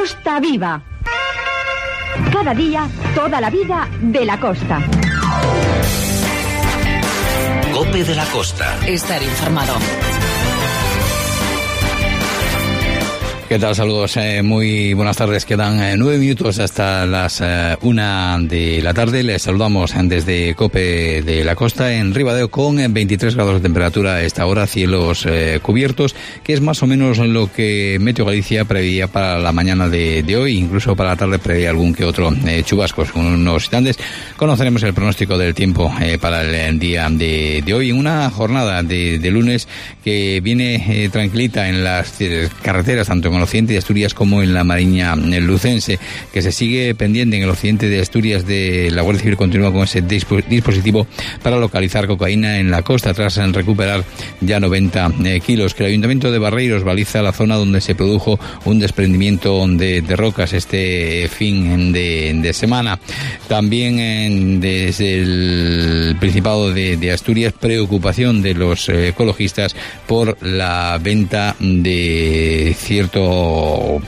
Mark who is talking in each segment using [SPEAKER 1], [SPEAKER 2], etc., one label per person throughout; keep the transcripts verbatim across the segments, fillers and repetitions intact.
[SPEAKER 1] Costa Viva. Cada día, toda la vida de la costa.
[SPEAKER 2] COPE de la Costa.
[SPEAKER 3] Estar informado.
[SPEAKER 4] ¿Qué tal? Saludos, eh, muy buenas tardes. Quedan eh, nueve minutos hasta las eh, una de la tarde. Les saludamos desde COPE de la Costa en Ribadeo con veintitrés grados de temperatura a esta hora, cielos eh, cubiertos, que es más o menos lo que Meteo Galicia preveía para la mañana de, de hoy. Incluso para la tarde preveía algún que otro eh, chubascos. Con unos instantes conoceremos el pronóstico del tiempo eh, para el día de, de hoy, en una jornada de, de lunes que viene eh, tranquilita en las eh, carreteras, tanto en el occidente de Asturias como en la Mariña lucense, que se sigue pendiente en el occidente de Asturias de la Guardia Civil. Continúa con ese dispositivo para localizar cocaína en la costa tras recuperar ya noventa eh, kilos. Que el Ayuntamiento de Barreiros baliza la zona donde se produjo un desprendimiento de, de rocas este fin de, de semana. También en, desde el Principado de, de Asturias, preocupación de los eh, ecologistas por la venta de cierto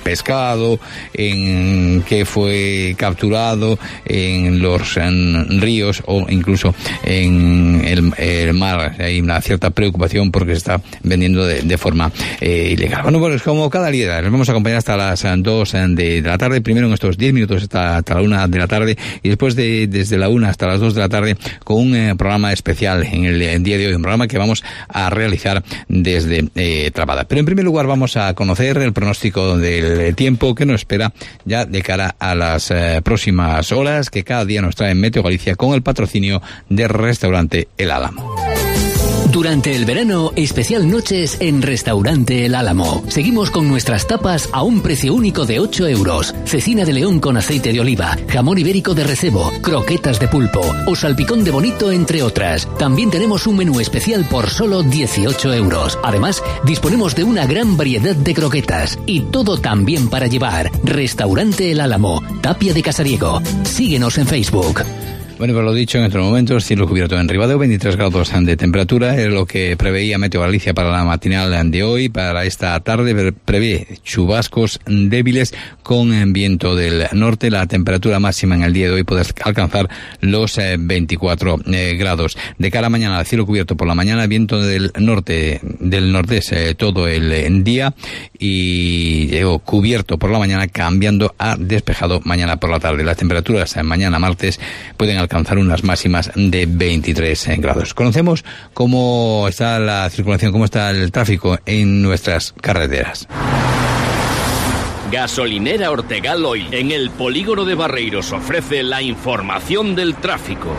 [SPEAKER 4] pescado en que fue capturado en los en ríos o incluso en el, el mar. Hay una cierta preocupación porque se está vendiendo de, de forma eh, ilegal. Bueno, pues como cada día les vamos a acompañar hasta las dos de la tarde, primero en estos diez minutos hasta, hasta la una de la tarde y después de desde la una hasta las dos de la tarde con un eh, programa especial en el, el día de hoy, un programa que vamos a realizar desde eh, Trabada. Pero en primer lugar vamos a conocer el pronóstico del tiempo que nos espera ya de cara a las eh, próximas horas, que cada día nos trae Meteo Galicia con el patrocinio de Restaurante El Álamo.
[SPEAKER 2] Durante el verano, especial noches en Restaurante El Álamo. Seguimos con nuestras tapas a un precio único de ocho euros. Cecina de león con aceite de oliva, jamón ibérico de recebo, croquetas de pulpo o salpicón de bonito, entre otras. También tenemos un menú especial por solo dieciocho euros. Además, disponemos de una gran variedad de croquetas y todo también para llevar. Restaurante El Álamo, Tapia de Casariego. Síguenos en Facebook.
[SPEAKER 4] Bueno, pues lo dicho, en estos momentos, cielo cubierto en Ribadeo, veintitrés grados de temperatura, es lo que preveía Meteo Galicia para la matinal de hoy. Para esta tarde prevé chubascos débiles con viento del norte. La temperatura máxima en el día de hoy puede alcanzar los eh, veinticuatro eh, grados. De cara a mañana, cielo cubierto por la mañana, viento del norte, del nordeste eh, todo el eh, día y eh, cubierto por la mañana, cambiando a despejado mañana por la tarde. Las temperaturas eh, mañana martes pueden alcanzar unas máximas de veintitrés grados. Conocemos cómo está la circulación, cómo está el tráfico en nuestras carreteras.
[SPEAKER 5] Gasolinera Ortegal Oil, en el polígono de Barreiros, ofrece la información del tráfico.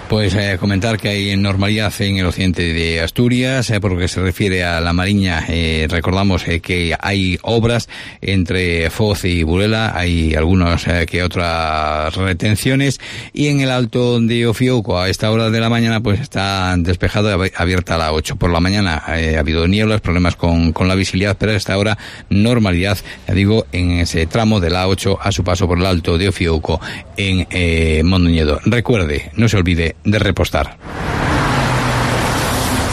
[SPEAKER 4] Pues eh, comentar que hay normalidad en el occidente de Asturias, eh, por lo que se refiere a la Mariña. Eh, recordamos eh, que hay obras entre Foz y Burela, hay algunas eh, que otras retenciones, y en el Alto de Ofiuco a esta hora de la mañana pues está despejado, abierta a la ocho. Por la mañana eh, ha habido nieblas, problemas con, con la visibilidad, pero a esta hora normalidad, ya digo, en ese tramo de la ocho a su paso por el Alto de Ofiuco en eh, Mondoñedo. Recuerde, no se olvide de repostar.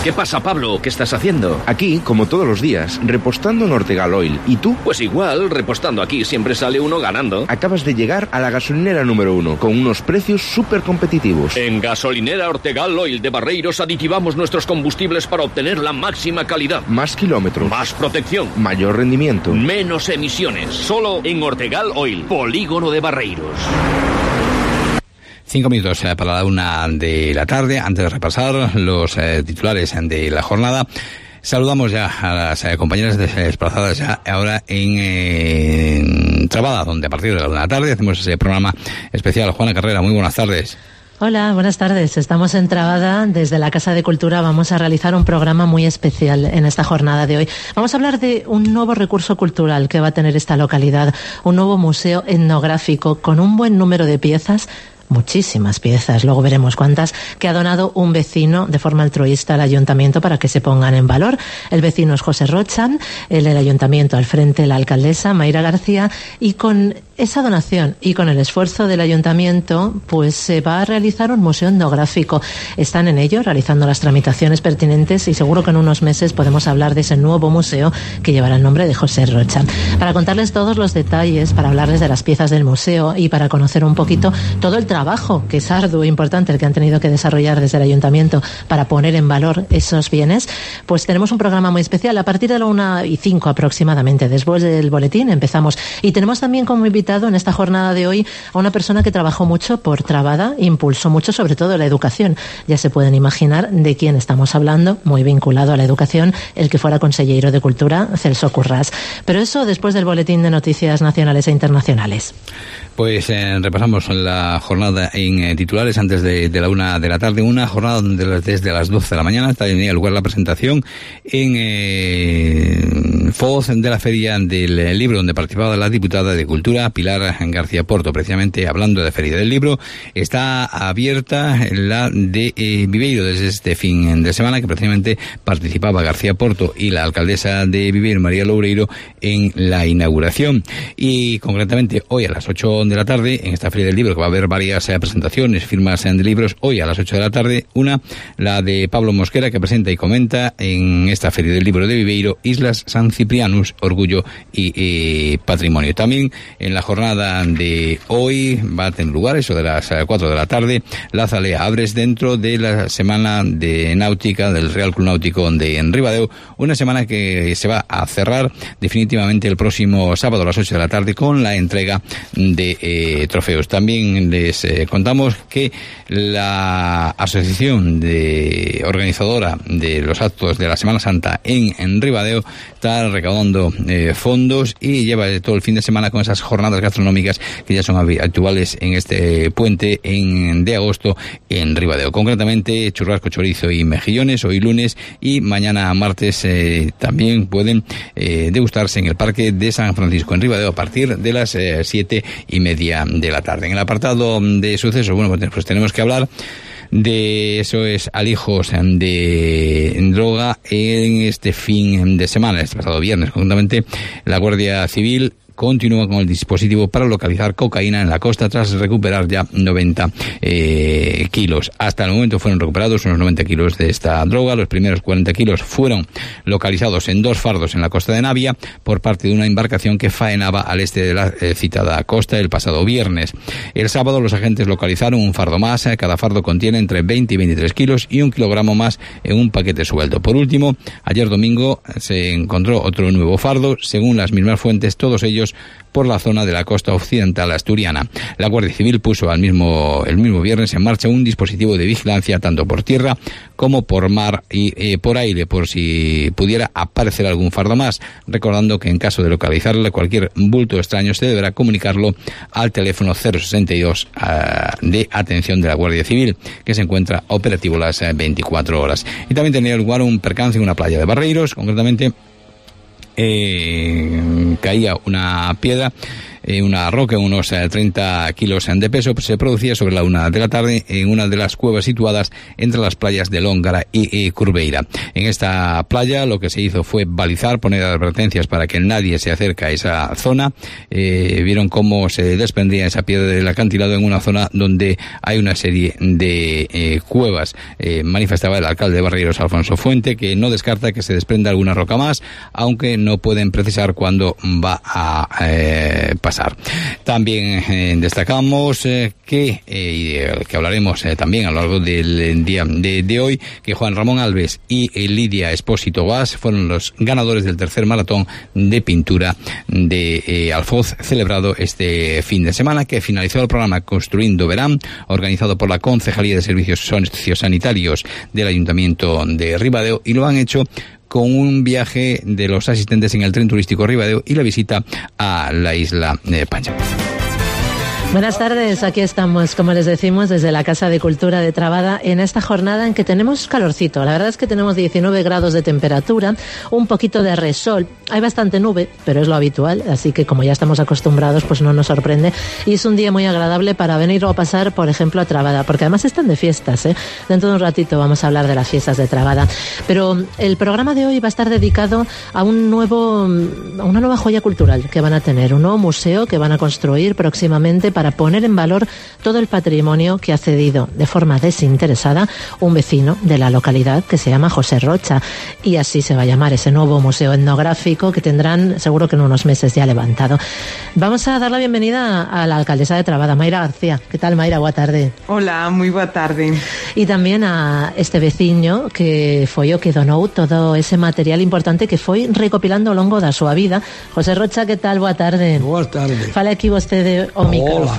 [SPEAKER 5] ¿Qué pasa, Pablo? ¿Qué estás haciendo?
[SPEAKER 6] Aquí, como todos los días, repostando en Ortegal Oil. ¿Y tú?
[SPEAKER 5] Pues igual, repostando aquí siempre sale uno ganando.
[SPEAKER 6] Acabas de llegar a la gasolinera número uno, con unos precios súper competitivos.
[SPEAKER 5] En Gasolinera Ortegal Oil de Barreiros aditivamos nuestros combustibles para obtener la máxima calidad.
[SPEAKER 6] Más kilómetros.
[SPEAKER 5] Más protección.
[SPEAKER 6] Mayor rendimiento.
[SPEAKER 5] Menos emisiones. Solo en Ortegal Oil, polígono de Barreiros.
[SPEAKER 4] Cinco minutos eh, para la una de la tarde. Antes de repasar los eh, titulares de la jornada, saludamos ya a las eh, compañeras desplazadas ya ahora en, eh, en Trabada, donde a partir de la una de la tarde hacemos ese programa especial. Juana Carrera, muy buenas tardes.
[SPEAKER 7] Hola, buenas tardes. Estamos en Trabada. Desde la Casa de Cultura vamos a realizar un programa muy especial en esta jornada de hoy. Vamos a hablar de un nuevo recurso cultural que va a tener esta localidad, un nuevo museo etnográfico con un buen número de piezas muchísimas piezas, luego veremos cuántas, que ha donado un vecino de forma altruista al ayuntamiento para que se pongan en valor. El vecino es José Rochan, el del ayuntamiento al frente la alcaldesa Mayra García, y con esa donación y con el esfuerzo del ayuntamiento pues se va a realizar un museo etnográfico. Están en ello realizando las tramitaciones pertinentes y seguro que en unos meses podemos hablar de ese nuevo museo que llevará el nombre de José Rochan. Para contarles todos los detalles, para hablarles de las piezas del museo y para conocer un poquito todo el trabajo que es arduo e importante el que han tenido que desarrollar desde el ayuntamiento para poner en valor esos bienes, pues tenemos un programa muy especial a partir de la una y cinco aproximadamente, después del boletín empezamos, y tenemos también como invitado en esta jornada de hoy a una persona que trabajó mucho por Trabada, impulsó mucho sobre todo la educación. Ya se pueden imaginar de quién estamos hablando, muy vinculado a la educación, el que fuera consejero de Cultura, Celso Currás. Pero eso después del boletín de noticias nacionales e internacionales.
[SPEAKER 4] Pues eh, repasamos la jornada en eh, titulares antes de, de la una de la tarde, una jornada donde desde las doce de la mañana tenía lugar la presentación en eh, Foz de la Feria del Libro, donde participaba la diputada de Cultura, Pilar García Porto. Precisamente hablando de Feria del Libro, está abierta la de eh, Viveiro desde este fin de semana, que precisamente participaba García Porto y la alcaldesa de Viveiro, María Loureiro, en la inauguración. Y concretamente hoy a las ocho de la tarde, en esta Feria del Libro, que va a haber varias eh, presentaciones, firmas eh, de libros, hoy a las ocho de la tarde, una, la de Pablo Mosquera, que presenta y comenta en esta Feria del Libro de Viveiro, Islas San Ciprianus, Orgullo y eh, Patrimonio. También en la jornada de hoy va a tener lugar, eso de las cuatro de la tarde, la Zalea Abres dentro de la Semana de Náutica del Real Club Náutico de Ribadeo, una semana que se va a cerrar definitivamente el próximo sábado a las ocho de la tarde con la entrega de eh, trofeos. También les eh, contamos que la asociación de organizadora de los actos de la Semana Santa en, en Ribadeo está recaudando eh, fondos y lleva todo el fin de semana con esas jornadas gastronómicas que ya son habituales en este puente en, de agosto en Ribadeo. Concretamente churrasco, chorizo y mejillones hoy lunes, y mañana martes eh, también pueden eh, degustarse en el Parque de San Francisco en Ribadeo a partir de las eh, siete y media de la tarde. En el apartado de sucesos, bueno, pues tenemos que hablar de eso es alijos de droga en este fin de semana, este pasado viernes. Concretamente, la Guardia Civil continúa con el dispositivo para localizar cocaína en la costa tras recuperar ya noventa eh, kilos. Hasta el momento fueron recuperados unos noventa kilos de esta droga. Los primeros cuarenta kilos fueron localizados en dos fardos en la costa de Navia por parte de una embarcación que faenaba al este de la eh, citada costa el pasado viernes. El sábado los agentes localizaron un fardo más. Cada fardo contiene entre veinte y veintitrés kilos y un kilogramo más en un paquete suelto. Por último, ayer domingo se encontró otro nuevo fardo. Según las mismas fuentes, todos ellos por la zona de la costa occidental asturiana. La Guardia Civil puso al mismo, el mismo viernes en marcha un dispositivo de vigilancia tanto por tierra como por mar y eh, por aire, por si pudiera aparecer algún fardo más, recordando que en caso de localizarle cualquier bulto extraño se deberá comunicarlo al teléfono cero sesenta y dos uh, de atención de la Guardia Civil, que se encuentra operativo las uh, veinticuatro horas. Y también tenía lugar un percance en una playa de Barreiros, concretamente Eh, caía una piedra, eh, una roca, unos eh, treinta kilos de peso, se producía sobre la una de la tarde en una de las cuevas situadas entre las playas de Lóngara y, y Curveira. En esta playa lo que se hizo fue balizar, poner advertencias para que nadie se acerque a esa zona. Eh, vieron cómo se desprendía esa piedra del acantilado en una zona donde hay una serie de eh, cuevas. Eh, manifestaba el alcalde de Barreiros, Alfonso Fuente, que no descarta que se desprenda alguna roca más, aunque no pueden precisar cuándo va a eh, pasar. También eh, destacamos eh, que, eh, que hablaremos eh, también a lo largo del día de, de hoy, que Juan Ramón Alves y eh, Lidia Espósito Guas fueron los ganadores del tercer maratón de pintura de eh, Alfoz, celebrado este fin de semana, que finalizó el programa Construindo Verán, organizado por la Concejalía de Servicios Sociosanitarios del Ayuntamiento de Ribadeo, y lo han hecho con un viaje de los asistentes en el tren turístico Ribadeo y la visita a la isla de Pancha.
[SPEAKER 7] Buenas tardes, aquí estamos, como les decimos, desde la Casa de Cultura de Trabada, en esta jornada en que tenemos calorcito. La verdad es que tenemos diecinueve grados de temperatura, un poquito de resol. Hay bastante nube, pero es lo habitual, así que como ya estamos acostumbrados, pues no nos sorprende. Y es un día muy agradable para venir o pasar, por ejemplo, a Trabada, porque además están de fiestas, ¿eh? Dentro de un ratito vamos a hablar de las fiestas de Trabada. Pero el programa de hoy va a estar dedicado a un nuevo, a una nueva joya cultural que van a tener, un nuevo museo que van a construir próximamente para para poner en valor todo el patrimonio que ha cedido de forma desinteresada un vecino de la localidad que se llama José Rocha. Y así se va a llamar ese nuevo museo etnográfico que tendrán seguro que en unos meses ya levantado. Vamos a dar la bienvenida a la alcaldesa de Trabada, Mayra García. ¿Qué tal, Mayra? Boa tarde.
[SPEAKER 3] Hola, moi boa tarde.
[SPEAKER 7] Y también a este veciño que foi o que donou todo ese material importante que foi recopilando ao longo da súa vida. José Rocha, que tal? Boa tarde.
[SPEAKER 8] Boa tarde.
[SPEAKER 7] Fala aquí vostede o micrófono.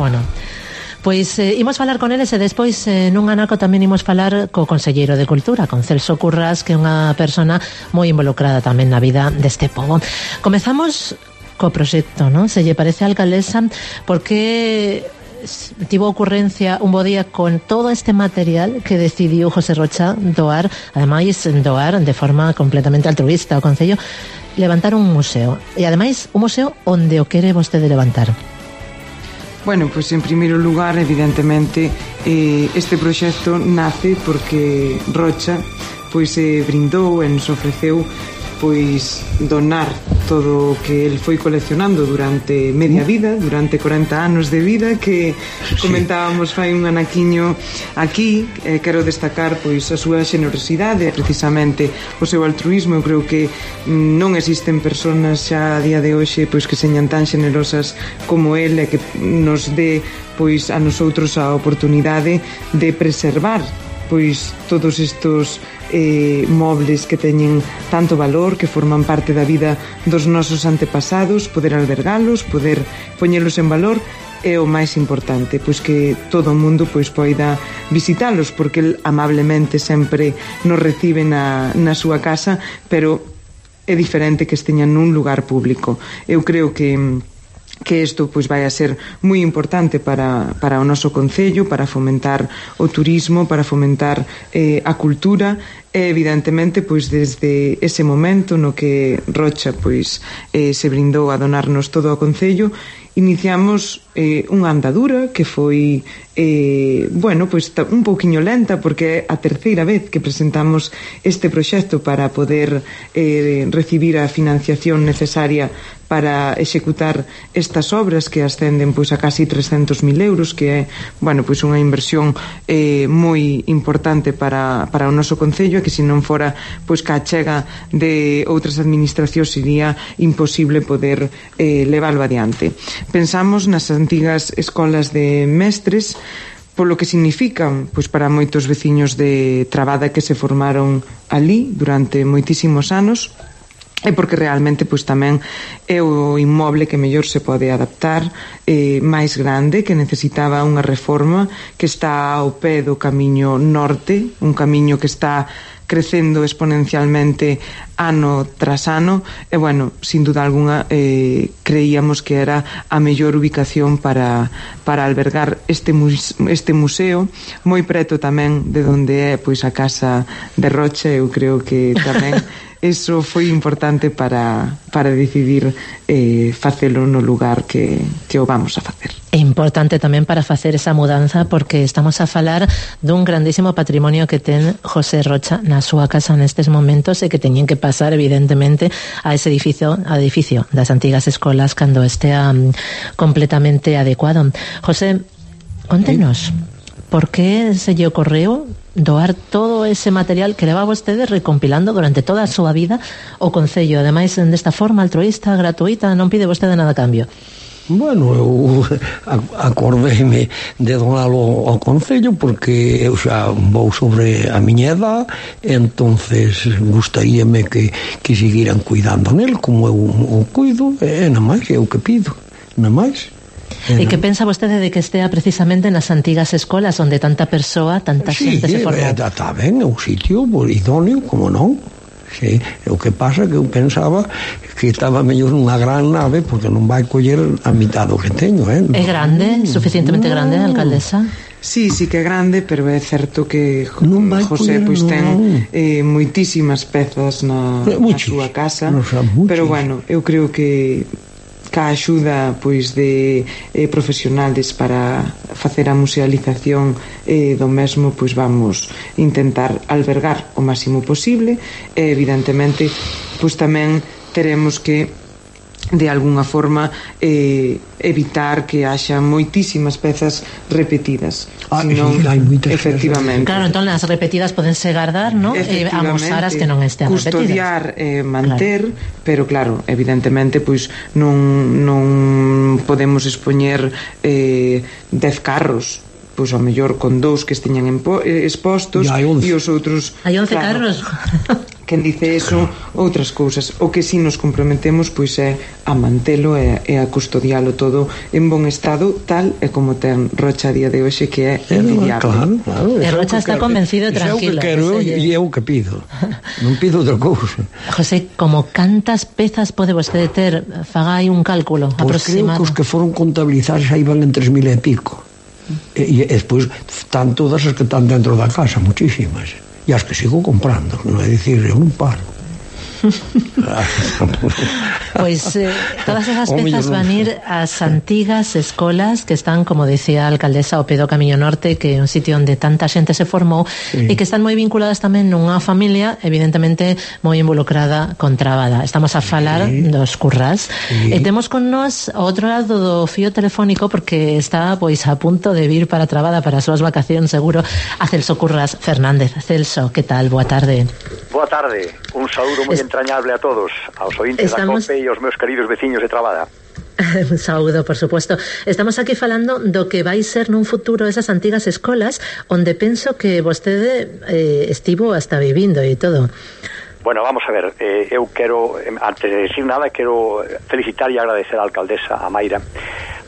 [SPEAKER 7] Pois eh, imos falar con eles e despois eh, nun anaco tamén imos falar co Conselleiro de Cultura, con Celso Currás, que é unha persona moi involucrada tamén na vida deste pobo. Comezamos co proxecto, non? Se lle parece a alcaldesa, porque tivo ocurrencia un bo día con todo este material que decidiu José Rocha doar, ademais doar de forma completamente altruista ao Concello, levantar un museo, e ademais un museo onde o quere vostede levantar.
[SPEAKER 3] Bueno, pois en primeiro lugar, evidentemente, eh, este proxecto nace porque Rocha pois se eh, brindou e nos ofreceu pois donar todo o que el foi coleccionando durante media vida, durante corenta anos de vida, que comentábamos fai un anaquiño aquí. Eh, quero destacar pois a súa xenerosidade, precisamente o seu altruismo. Eu creo que non existen persoas xa a día de hoxe pois que señan tan xenerosas como el e que nos dé pois a nosotros a oportunidade de preservar pois todos estos eh, mobles que teñen tanto valor, que forman parte da vida dos nosos antepasados, poder albergalos, poder poñelos en valor, é o máis importante, pois que todo o mundo pois poida visitalos, porque el amablemente sempre nos recibe na, na súa casa, pero é diferente que esteñan nun lugar público. Eu creo que que isto pois vai a ser moi importante para, para o noso concello, para fomentar o turismo, para fomentar eh, a cultura, e evidentemente pois desde ese momento no que Rocha pois eh, se brindou a donarnos todo o concello, iniciamos eh, unha andadura que foi eh, bueno, pois un pouquiño lenta, porque é a terceira vez que presentamos este proxecto para poder eh, recibir a financiación necesaria para executar estas obras que ascenden pois a casi trescentos mil euros, que é, bueno, pois unha inversión eh, moi importante para, para o noso concello, que se non fora pois ca chega de outras administracións sería imposible poder eh, leválo adiante. Pensamos nas antigas escolas de mestres, polo que significan pois para moitos veciños de Trabada que se formaron ali durante moitísimos anos, e porque realmente pois tamén é o inmoble que mellor se pode adaptar, eh, máis grande, que necesitaba unha reforma, que está ao pé do camiño norte, un camiño que está crecendo exponencialmente ano tras ano, e bueno, sin duda alguna eh, creíamos que era a mellor ubicación para, para albergar este, muse, este museo, moi preto tamén de onde é pois a casa de Rocha. Eu creo que tamén eso foi importante para, para decidir eh, facelo no lugar que, que o vamos a facer.
[SPEAKER 7] É importante tamén para facer esa mudanza, porque estamos a falar dun grandísimo patrimonio que ten José Rocha na súa casa nestes momentos, e que teñen que pasar evidentemente a ese edificio, a edificio das antigas escolas cando estea um, completamente adecuado. José, contenos, por que se lle ocorreu doar todo ese material que leva vostede recompilando durante toda a súa vida o Concello, ademais desta forma altruista, gratuita, non pide vostede nada a cambio?
[SPEAKER 8] Bueno, eu acordeime de donalo ao Concello porque eu xa vou sobre a miña edad, entonces gustaríame que, que seguiran cuidando nel como eu o cuido, e na máis é o que pido, na máis.
[SPEAKER 7] E que pensa vostede de que estea precisamente nas antigas escolas onde tanta persoa, tanta
[SPEAKER 8] sí,
[SPEAKER 7] xente se formou?
[SPEAKER 8] Sí, está ben, é un sitio idóneo, como non? Sí, o que pasa que eu pensaba que estaba mellor nunha gran nave porque non vai coller a mitad do que teño, eh?
[SPEAKER 7] É grande, suficientemente no. grande, alcaldesa?
[SPEAKER 3] Sí, sí que é grande, pero é certo que José pois ten eh, moitísimas pezas na, na súa casa, no, pero bueno, eu creo que ca axuda pois de eh, profesionales para facer a musealización eh, do mesmo, pois vamos intentar albergar o máximo posible e evidentemente pois tamén teremos que de alguna forma eh, evitar que haxa moitísimas pezas repetidas.
[SPEAKER 8] Ah,
[SPEAKER 3] senón,
[SPEAKER 8] hai moitas
[SPEAKER 3] efectivamente.
[SPEAKER 7] Claro, entón as repetidas podense guardar, ¿no? E amosar as que non estén
[SPEAKER 3] custodiar,
[SPEAKER 7] repetidas.
[SPEAKER 3] eh, manter,
[SPEAKER 7] claro.
[SPEAKER 3] pero claro, evidentemente pois non non podemos expoñer eh, dez carros, pois ao mellor con dous que esteñan expostos e os outros
[SPEAKER 7] hai once
[SPEAKER 3] claro,
[SPEAKER 7] carros.
[SPEAKER 3] Quen dice eso, outras cousas. O que si nos comprometemos pois é a mantelo e, e a custodialo todo en bon estado, tal e como ten Rocha a día de hoxe, que é envidiable.
[SPEAKER 8] Claro, claro,
[SPEAKER 7] e Rocha está convencido e tranquilo.
[SPEAKER 8] É o que quero e é o que pido. Non pido outra cousa.
[SPEAKER 7] José, como cantas pezas pode vostede ter? Faga aí un cálculo
[SPEAKER 8] pues
[SPEAKER 7] aproximado.
[SPEAKER 8] Creo que os que foron contabilizados aí van en tres mil e pico. E, e despois están todas as que están dentro da casa, muchísimas. E as que sigo comprando, non é dicir, eu non paro.
[SPEAKER 7] Pois eh, todas esas pezas van ir ás antigas escolas que están, como decía a alcaldesa, ao pé do Camiño Norte, que é un sitio onde tanta xente se formou, sí. E que están moi vinculadas tamén nunha familia evidentemente moi involucrada con Trabada. Estamos a falar sí. dos Currás, sí. E temos con nós ao outro lado do fío telefónico, porque está pois a punto de vir para Trabada para as súas vacacións seguro, a Celso Currás Fernández. Celso, que tal? Boa tarde.
[SPEAKER 9] Boa tarde, un saúdo moi es... entrañable a todos, aos ointes Estamos... da COPE e aos meus queridos veciños de Trabada.
[SPEAKER 7] Un saúdo, por supuesto. Estamos aquí falando do que vai ser nun futuro esas antigas escolas onde penso que vostede eh, estivo hasta vivindo e todo.
[SPEAKER 9] Bueno, vamos a ver, eh, eu quero, antes de decir nada, quero felicitar e agradecer á alcaldesa, a Mayra,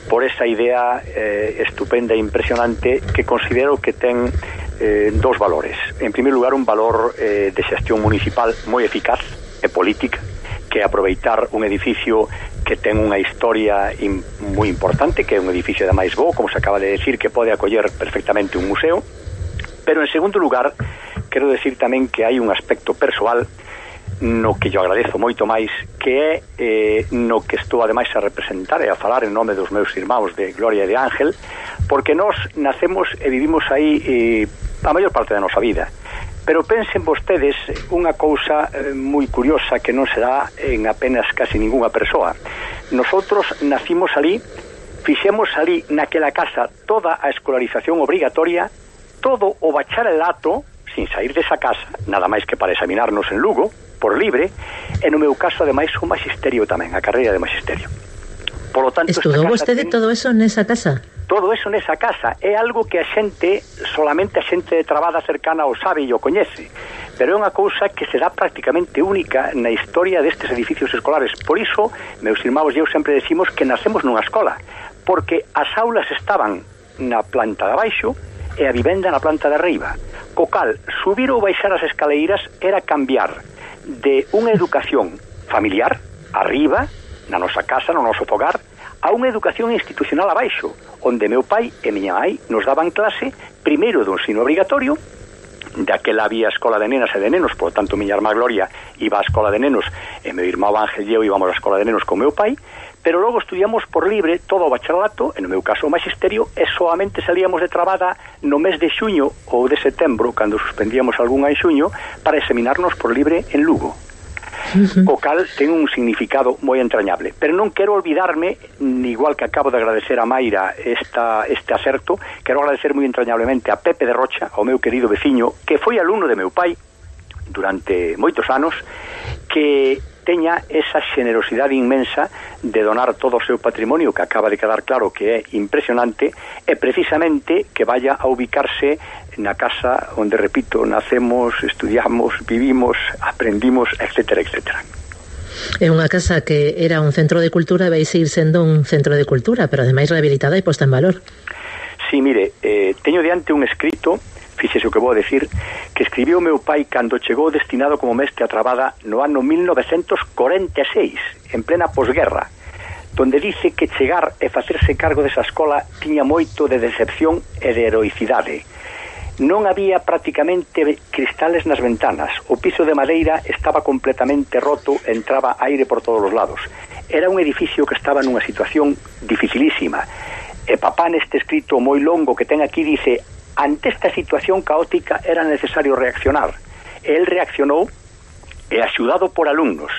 [SPEAKER 9] por esa idea eh, estupenda e impresionante que considero que ten eh, dos valores. En primer lugar, un valor eh, de xestión municipal moi eficaz e política, que é aproveitar un edificio que ten unha historia in, moi importante, que é un edificio de máis bo, como se acaba de decir, que pode acoller perfectamente un museo. Pero en segundo lugar, quero decir tamén que hai un aspecto persoal no que yo agradezo moito máis, que é eh, no que estou ademais a representar e a falar en nome dos meus irmãos de Gloria e de Ángel, porque nós nacemos e vivimos aí eh, a maior parte da nosa vida. Pero pensen vostedes unha cousa eh, moi curiosa que non se dá en apenas casi ningunha persoa. Nosotros nacimos ali, fixemos ali naquela casa toda a escolarización obrigatoria, todo o bacharelato, sin sair desa casa, nada máis que para examinarnos en Lugo, por libre, e no meu caso ademais o magisterio tamén, a carreira de magisterio. Por lo tanto,
[SPEAKER 7] estudou vostede ten... todo eso nesa casa?
[SPEAKER 9] Todo eso nesa casa é algo que a xente, solamente a xente de Trabada cercana o sabe e o coñece, pero é unha cousa que será prácticamente única na historia destes edificios escolares. Por iso, meus irmãos e eu sempre decimos que nacemos nunha escola, porque as aulas estaban na planta de abaixo e a vivenda na planta de arriba. Co cal, subir ou baixar as escaleiras era cambiar de unha educación familiar, arriba, na nosa casa, no noso fogar, a unha educación institucional abaixo, onde meu pai e miña mãe nos daban clase primeiro do ensino obrigatorio, daquela había escola de nenas e de nenos, por tanto miña irmá Gloria iba á escola de nenos e meu irmão Ángel e eu íbamos á escola de nenos con meu pai, pero logo estudiamos por libre todo o bacharelato, en no meu caso o magisterio, e solamente salíamos de Trabada no mes de xuño ou de setembro, cando suspendíamos algunha en xuño, para examinarnos por libre en Lugo. O cal ten un significado moi entrañable, pero non quero olvidarme, igual que acabo de agradecer a Mayra esta, este acerto, quero agradecer moi entrañablemente a Pepe de Rocha, o meu querido veciño, que foi alumno de meu pai durante moitos anos, que teña esa xenerosidade inmensa de donar todo o seu patrimonio, que acaba de quedar claro que é impresionante, e precisamente que vaya a ubicarse na casa onde, repito, nacemos, estudiamos, vivimos, aprendimos, etcétera, etcétera.
[SPEAKER 7] É unha casa que era un centro de cultura e vai seguir sendo un centro de cultura, pero ademais rehabilitada e posta en valor.
[SPEAKER 9] Sí, mire, eh, teño diante un escrito fíxese o que vou decir, que escribiu o meu pai cando chegou destinado como mestre a Trabada no ano mil novecentos corenta e seis, en plena posguerra, donde dice que chegar e facerse cargo desa escola tiña moito de decepción e de heroicidade. Non había prácticamente cristales nas ventanas, o piso de madeira estaba completamente roto, entraba aire por todos os lados. Era un edificio que estaba nunha situación dificilísima. E papá neste escrito moi longo que ten aquí dice: ante esta situación caótica era necesario reaccionar. El reaccionou e, axudado por alumnos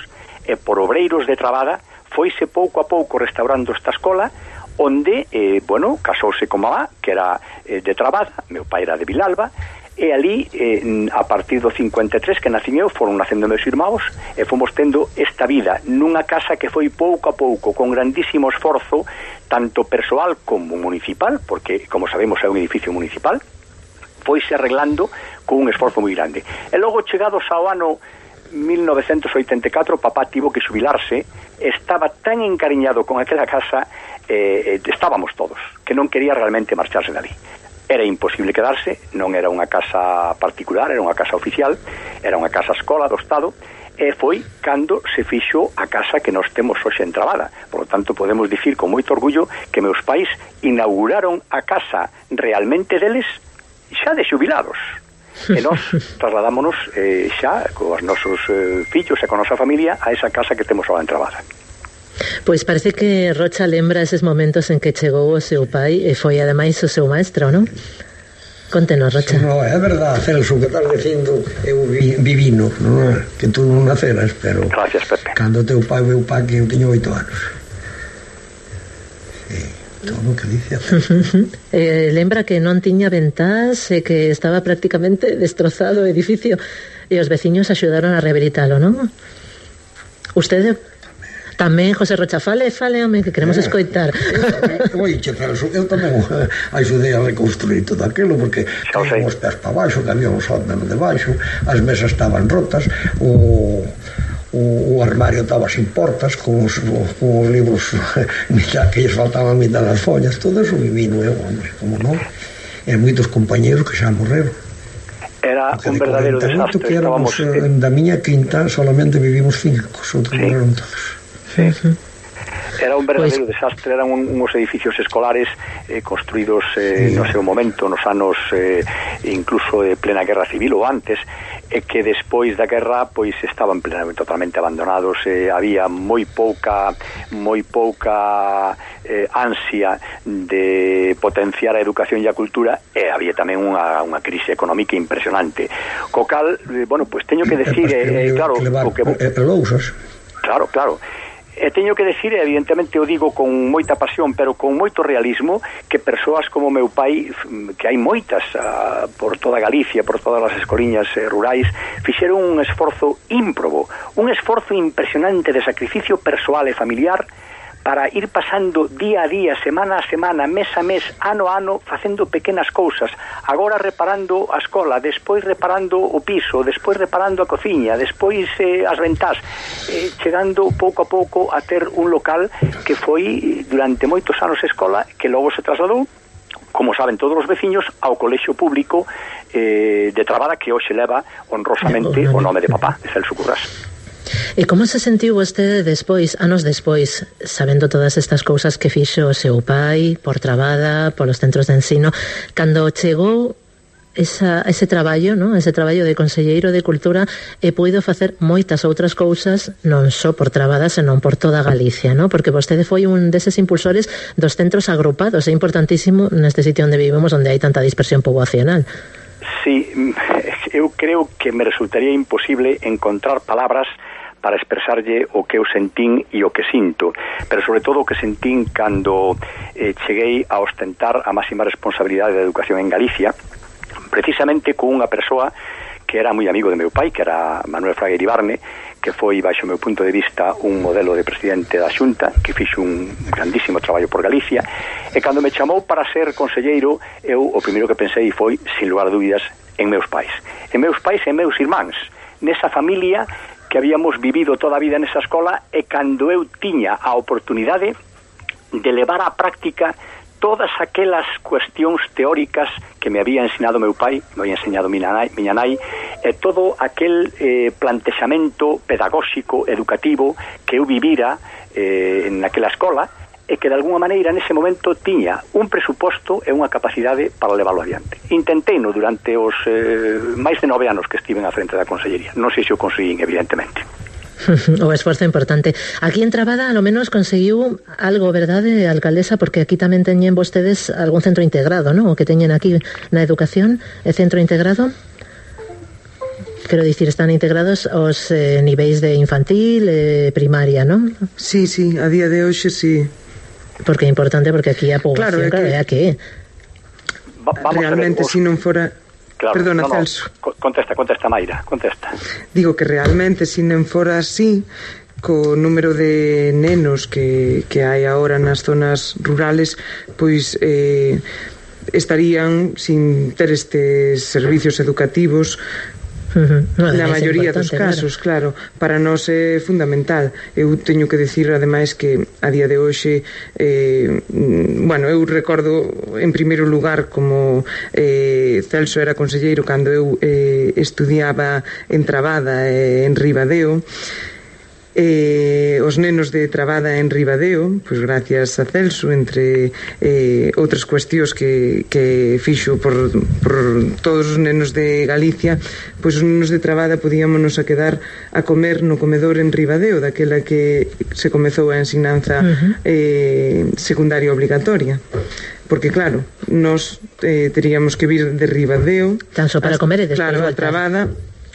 [SPEAKER 9] e por obreiros de Trabada, foise pouco a pouco restaurando esta escola, onde, eh, bueno, casouse con mamá, que era eh, de Trabada, meu pai era de Vilalba, e ali, eh, a partir do cincuenta e tres que nacín eu, foron nacendo meus irmãos, e fomos tendo esta vida nunha casa que foi pouco a pouco, con grandísimo esforzo, tanto persoal como municipal, porque, como sabemos, é un edificio municipal, foise arreglando con un esforzo moi grande. E logo, chegados ao ano mil novecentos oitenta e catro, papá tivo que xubilarse, estaba tan encariñado con aquela casa, eh, estábamos todos, que non quería realmente marcharse dali. Era imposible quedarse, non era unha casa particular, era unha casa oficial, era unha casa escola do Estado, e foi cando se fixo a casa que nós temos hoxe en Trabada. Por lo tanto, podemos dicir con moito orgullo que meus pais inauguraron a casa realmente deles xa de xubilados. E nós trasladámonos eh, xa cos nosos eh, fillos e con a nosa familia a esa casa que temos agora en Trabada.
[SPEAKER 7] Pois parece que Rocha lembra eses momentos en que chegou o seu pai e foi ademais o seu maestro, non? Contenos, Rocha.
[SPEAKER 8] No, é verdade, Celso, que estás dicindo, eu vi, vivino, non é? Que tú non naceras, pero
[SPEAKER 9] gracias, Pepe.
[SPEAKER 8] Cando teu pai veu pa que eu teño oito anos. Sí, todo o que dice.
[SPEAKER 7] eh, lembra que non tiña ventás e que estaba prácticamente destrozado o edificio e os veciños axudaron a rehabilitalo, non? Usted... Tamén, José Rocha, fale, fale, home, que queremos eh, escoitar.
[SPEAKER 8] Oi, che, Celso, eu tamén eh, axudei a reconstruir todo aquilo, porque caían os pés para baixo, que había un sótano de baixo, as mesas estaban rotas, o, o, o armario estaba sin portas, con os, con os libros que lles faltaban a mitad das follas, todo eso vivino eu, hombre, como non? E moitos compañeros que xa morreron.
[SPEAKER 9] Era porque un verdadero desastre.
[SPEAKER 8] Que éramos, estábamos... Da miña quinta solamente vivimos cinco, os outros sí. morreron todos. Sí.
[SPEAKER 9] Era un verdadero pues... desastre, eran un, unos edificios escolares eh, construídos eh, sí. no seu momento, nos anos eh, incluso de plena guerra civil ou antes, e que despois da guerra pois estaban plenamente, totalmente abandonados, eh, había moi pouca moi pouca eh, ansia de potenciar a educación e a cultura, e había tamén unha, unha crise económica impresionante. Co cal, eh, bueno, pois teño que decir, eh, eh, claro, o que... Claro, claro. E teño que decir, evidentemente o digo con moita pasión, pero con moito realismo, que persoas como meu pai, que hai moitas uh, por toda Galicia, por todas as escoliñas eh, rurais, fixeron un esforzo ímprobo, un esforzo impresionante de sacrificio persoal e familiar para ir pasando día a día, semana a semana, mes a mes, ano a ano, facendo pequenas cousas, agora reparando a escola, despois reparando o piso, despois reparando a cociña, despois eh, as ventás, eh, chegando pouco a pouco a ter un local que foi durante moitos anos escola, que logo se trasladou, como saben todos os veciños, ao colexio público eh, de Trabada, que hoxe leva honrosamente o nome de papá, de Celso Currás.
[SPEAKER 7] E como se sentiu vostede despois, anos despois, sabendo todas estas cousas que fixo o seu pai, por Trabada, polos centros de ensino, cando chegou esa, ese traballo, ¿no? Ese traballo de conselleiro de Cultura, e puido facer moitas outras cousas, non só por Trabada, senón por toda Galicia, ¿no? Porque vostede foi un deses impulsores dos centros agrupados, é importantísimo neste sitio onde vivimos, onde hai tanta dispersión poboacional.
[SPEAKER 9] Sí, eu creo que me resultaría imposible encontrar palabras para expresarlle o que eu sentín e o que sinto, pero sobre todo o que sentín cando eh, cheguei a ostentar a máxima responsabilidade da educación en Galicia, precisamente con unha persoa que era moi amigo de meu pai, que era Manuel Fraga Iribarne, que foi, baixo o meu punto de vista, un modelo de presidente da Xunta, que fixo un grandísimo traballo por Galicia, e cando me chamou para ser conselleiro, eu o primeiro que pensei foi, sin lugar a dúbidas, en meus pais. En meus pais e en meus irmáns, nesa familia que habíamos vivido toda a vida nesa escola, e cando eu tiña a oportunidade de levar á práctica todas aquelas cuestións teóricas que me había ensinado meu pai, me había enseñado miña nai, miña nai e todo aquel eh, plantexamento pedagóxico, educativo que eu vivira eh, naquela escola e que de alguna maneira nese momento tiña un presuposto e unha capacidade para leválo adiante. Intenteino durante os eh, máis de nove anos que estive na frente da Consellería. Non sei se o conseguín, evidentemente.
[SPEAKER 7] O esforzo importante. Aquí en Trabada, a lo menos, conseguiu algo, verdade, alcaldesa? Porque aquí tamén teñen vostedes algún centro integrado, ¿no? O que teñen aquí na educación, e centro integrado. Quero dicir, están integrados os eh, niveis de infantil, eh, primaria, ¿no?
[SPEAKER 3] Sí, sí, a día de hoxe sí.
[SPEAKER 7] Porque é importante, porque aquí a poboación, claro, é que...
[SPEAKER 9] Va,
[SPEAKER 3] realmente, se si non fora...
[SPEAKER 9] Claro,
[SPEAKER 3] Perdona,
[SPEAKER 9] no, no.
[SPEAKER 3] Celso.
[SPEAKER 9] Contesta, contesta, Mayra, contesta.
[SPEAKER 3] Digo que realmente, se non fora así, co número de nenos que, que hai agora nas zonas rurales, pois eh, estarían sin ter estes servicios educativos.
[SPEAKER 7] Uh-huh. No,
[SPEAKER 3] na maioría dos casos, claro. claro, para nós é fundamental. Eu teño que decir, ademais, que a día de hoxe eh, bueno, eu recordo en primeiro lugar como eh, Celso era conselleiro cando eu eh, estudiaba en Trabada e en Ribadeo. Eh, os nenos de Trabada en Ribadeo, pois gracias a Celso, entre eh, outras cuestións que, que fixo por, por todos os nenos de Galicia, pois os nenos de Trabada podíamonos a quedar a comer no comedor en Ribadeo, daquela que se comezou a ensinanza uh-huh. eh, secundaria obligatoria. Porque claro, nós eh, teríamos que vir de Ribadeo
[SPEAKER 7] tan só para hasta, comer e despois
[SPEAKER 3] claro,
[SPEAKER 7] voltar.
[SPEAKER 3] A Trabada,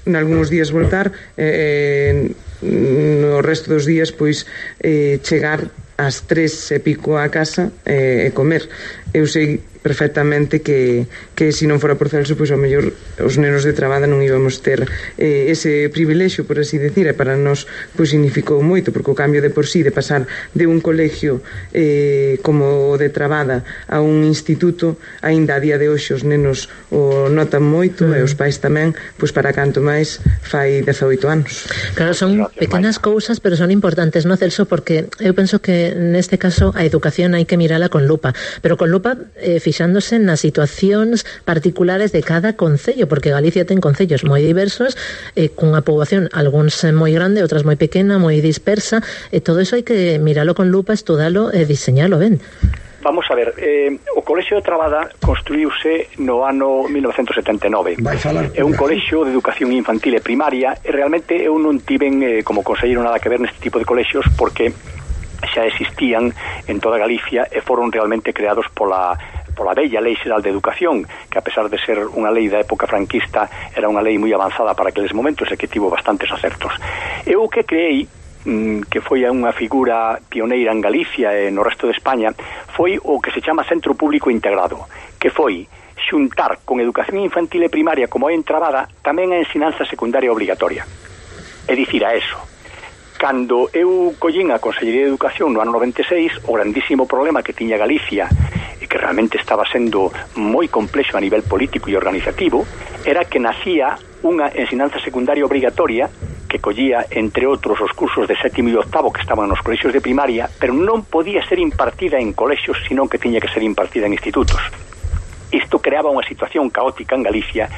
[SPEAKER 3] nalgúns días voltar, eh, no resto dos días pois eh, chegar ás tres e pico a casa e eh, comer. Eu sei perfectamente que, que se non fora por Celso, pois ao mellor os nenos de Trabada non íbamos ter eh, ese privilexio, por así decir, e para nós pois significou moito, porque o cambio de por sí de pasar de un colegio eh, como o de Trabada a un instituto, aínda a día de hoxe os nenos o notan moito mm. e os pais tamén, pois para canto máis fai dezaoito anos.
[SPEAKER 7] Claro, son pequenas cousas, pero son importantes, non, Celso? Porque eu penso que neste caso a educación hai que mirala con lupa, pero con lupa eh, fixándose nas situacións particulares de cada concello, porque Galicia ten concellos moi diversos, eh, cunha poboación algúns moi grande, outras moi pequena, moi dispersa, e todo iso hai que miralo con lupa, estudalo e diseñalo ben.
[SPEAKER 9] Vamos a ver, eh, o Colexio de Trabada construíuse no ano mil novecentos setenta e nove. É un colexio de educación infantil e primaria, e realmente eu non tiven eh, como conselleiro nada que ver neste tipo de colexios, porque xa existían en toda Galicia e foron realmente creados pola pola bella Lei Xeral de Educación, que a pesar de ser unha lei da época franquista, era unha lei moi avanzada para aqueles momentos e que tivo bastantes acertos. Eu o que creei, que foi unha figura pioneira en Galicia e no resto de España, foi o que se chama Centro Público Integrado, que foi xuntar con educación infantil e primaria como é en Trabada tamén a ensinanza secundaria obligatoria. É dicir, a eso, cando eu collín a Consellería de Educación no ano noventa e seis, o grandísimo problema que tiña Galicia e que realmente estaba sendo moi complexo a nivel político e organizativo, era que nacía unha ensinanza secundaria obligatoria que collía, entre outros, os cursos de sétimo e octavo que estaban nos colexios de primaria, pero non podía ser impartida en colexios, senón que tiña que ser impartida en institutos. Isto creaba unha situación caótica en Galicia,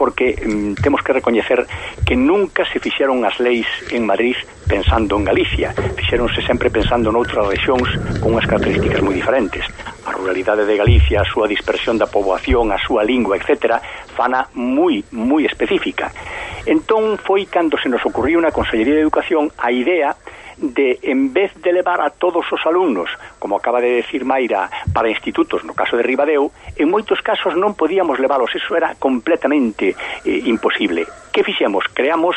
[SPEAKER 9] porque mm, temos que recoñecer que nunca se fixeron as leis en Madrid pensando en Galicia, fixeronse sempre pensando noutras rexións con unhas características moi diferentes. A ruralidade de Galicia, a súa dispersión da poboación, a súa lingua, etcétera, fana moi, moi específica. Entón foi cando se nos ocurriu na Consellería de Educación a idea de, en vez de levar a todos os alumnos, como acaba de decir Mayra, para institutos, no caso de Ribadeo, en moitos casos non podíamos leválos, eso era completamente eh, imposible. Que fixemos? Creamos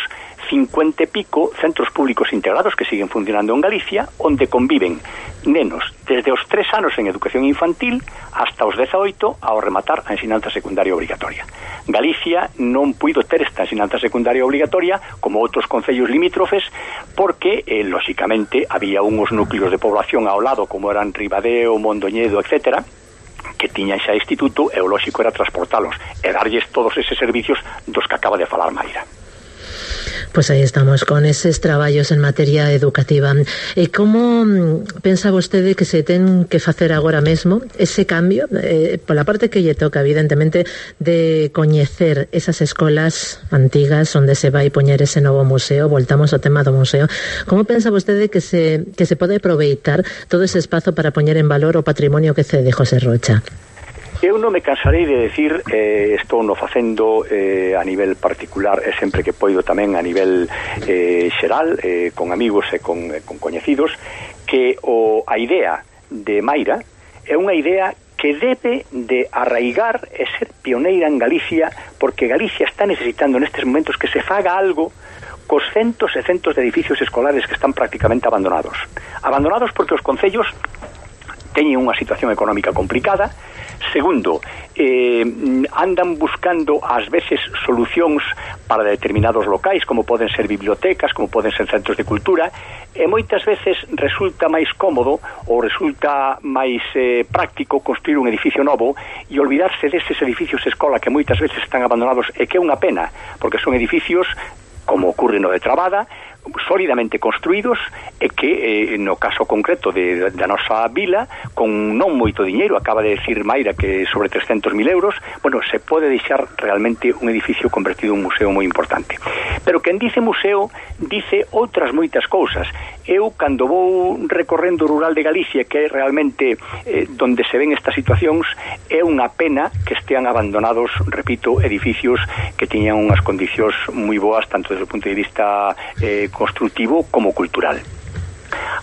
[SPEAKER 9] cincuenta e pico centros públicos integrados que siguen funcionando en Galicia, onde conviven nenos desde os tres anos en educación infantil hasta os dezaoito ao rematar a ensinanza secundaria obligatoria. Galicia non puido ter esta ensinanza secundaria obligatoria como outros concellos limítrofes porque, eh, lóxicamente, había uns núcleos de población ao lado como eran Ribadeo, Mondoñedo, etcétera, que tiñan xa instituto e o lóxico era transportalos e darlles todos eses servicios dos que acaba de falar Mayra.
[SPEAKER 7] Pois aí estamos con eses traballos en materia educativa. E como pensa vostede que se ten que facer agora mesmo ese cambio, eh, pola parte que lle toca, evidentemente, de coñecer esas escolas antigas onde se vai poñer ese novo museo? Voltamos ao tema do museo. Como pensa vostede que se, que se pode aproveitar todo ese espazo para poñer en valor o patrimonio que cede José Rocha?
[SPEAKER 9] Eu non me cansarei de decir, eh, estou no facendo eh, a nivel particular e sempre que poido tamén a nivel eh, xeral, eh, con amigos e con, eh, con coñecidos, que o, a idea de Mayra é unha idea que debe de arraigar e ser pioneira en Galicia, porque Galicia está necesitando nestes momentos que se faga algo cos centos e centos de edificios escolares que están prácticamente abandonados. Abandonados porque os concellos teñen unha situación económica complicada. Segundo, eh, andan buscando ás veces solucións para determinados locais, como poden ser bibliotecas, como poden ser centros de cultura, e moitas veces resulta máis cómodo ou resulta máis eh, práctico construir un edificio novo e olvidarse deses edificios escola que moitas veces están abandonados, e que é unha pena, porque son edificios, como ocurre no de Trabada, sólidamente construídos e que, eh, no caso concreto de, da nosa vila, con non moito diñeiro, acaba de decir Mayra que sobre trescentos mil euros, bueno, se pode deixar realmente un edificio convertido en un museo moi importante. Pero quen dice museo, dice outras moitas cousas. Eu, cando vou recorrendo o rural de Galicia, que é realmente eh, donde se ven estas situacións, é unha pena que estean abandonados, repito, edificios que tiñan unhas condicións moi boas, tanto desde o punto de vista eh, constructivo como cultural.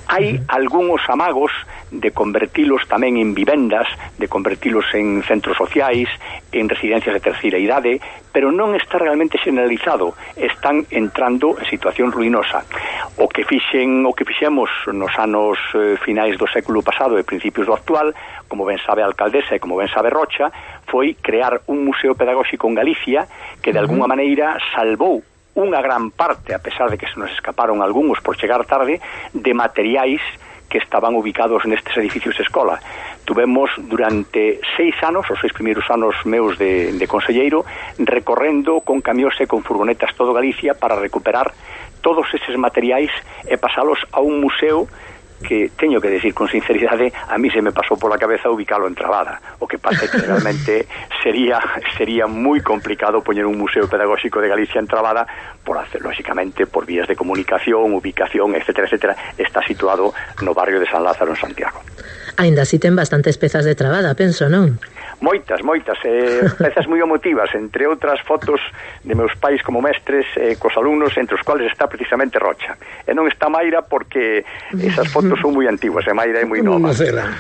[SPEAKER 9] Hai algúns amagos de convertilos tamén en vivendas, de convertilos en centros sociais, en residencias de terceira idade, pero non está realmente generalizado. Están entrando en situación ruinosa. O que fixen, o que fixemos nos anos eh, finais do século pasado e principios do actual, como ben sabe a alcaldesa e como ben sabe Rocha, foi crear un museo pedagóxico en Galicia que de alguna maneira salvou unha gran parte, a pesar de que se nos escaparon algúns por chegar tarde, de materiais que estaban ubicados nestes edificios escola. Tuvemos durante seis anos, os seis primeiros anos meus de, de conselleiro, recorrendo con camións e con furgonetas todo Galicia para recuperar todos eses materiais e pasalos a un museo que, teño que decir con sinceridade, a mí se me pasou pola cabeza ubicalo en Trabada. O que pasa é que realmente sería sería moi complicado poñer un museo pedagóxico de Galicia en Trabada, por hacer, lógicamente, por vías de comunicación, ubicación, etcétera, etcétera. Está situado no barrio de San Lázaro, en Santiago.
[SPEAKER 7] Ainda así ten bastantes pezas de Trabada, penso, non?
[SPEAKER 9] Moitas, moitas, eh, pezas moi emotivas, entre outras fotos de meus pais como mestres eh, cos alumnos, entre os cuales está precisamente Rocha. E non está Mayra porque esas fotos son moi antiguas, e Mayra é moi nova.
[SPEAKER 8] Non nacera.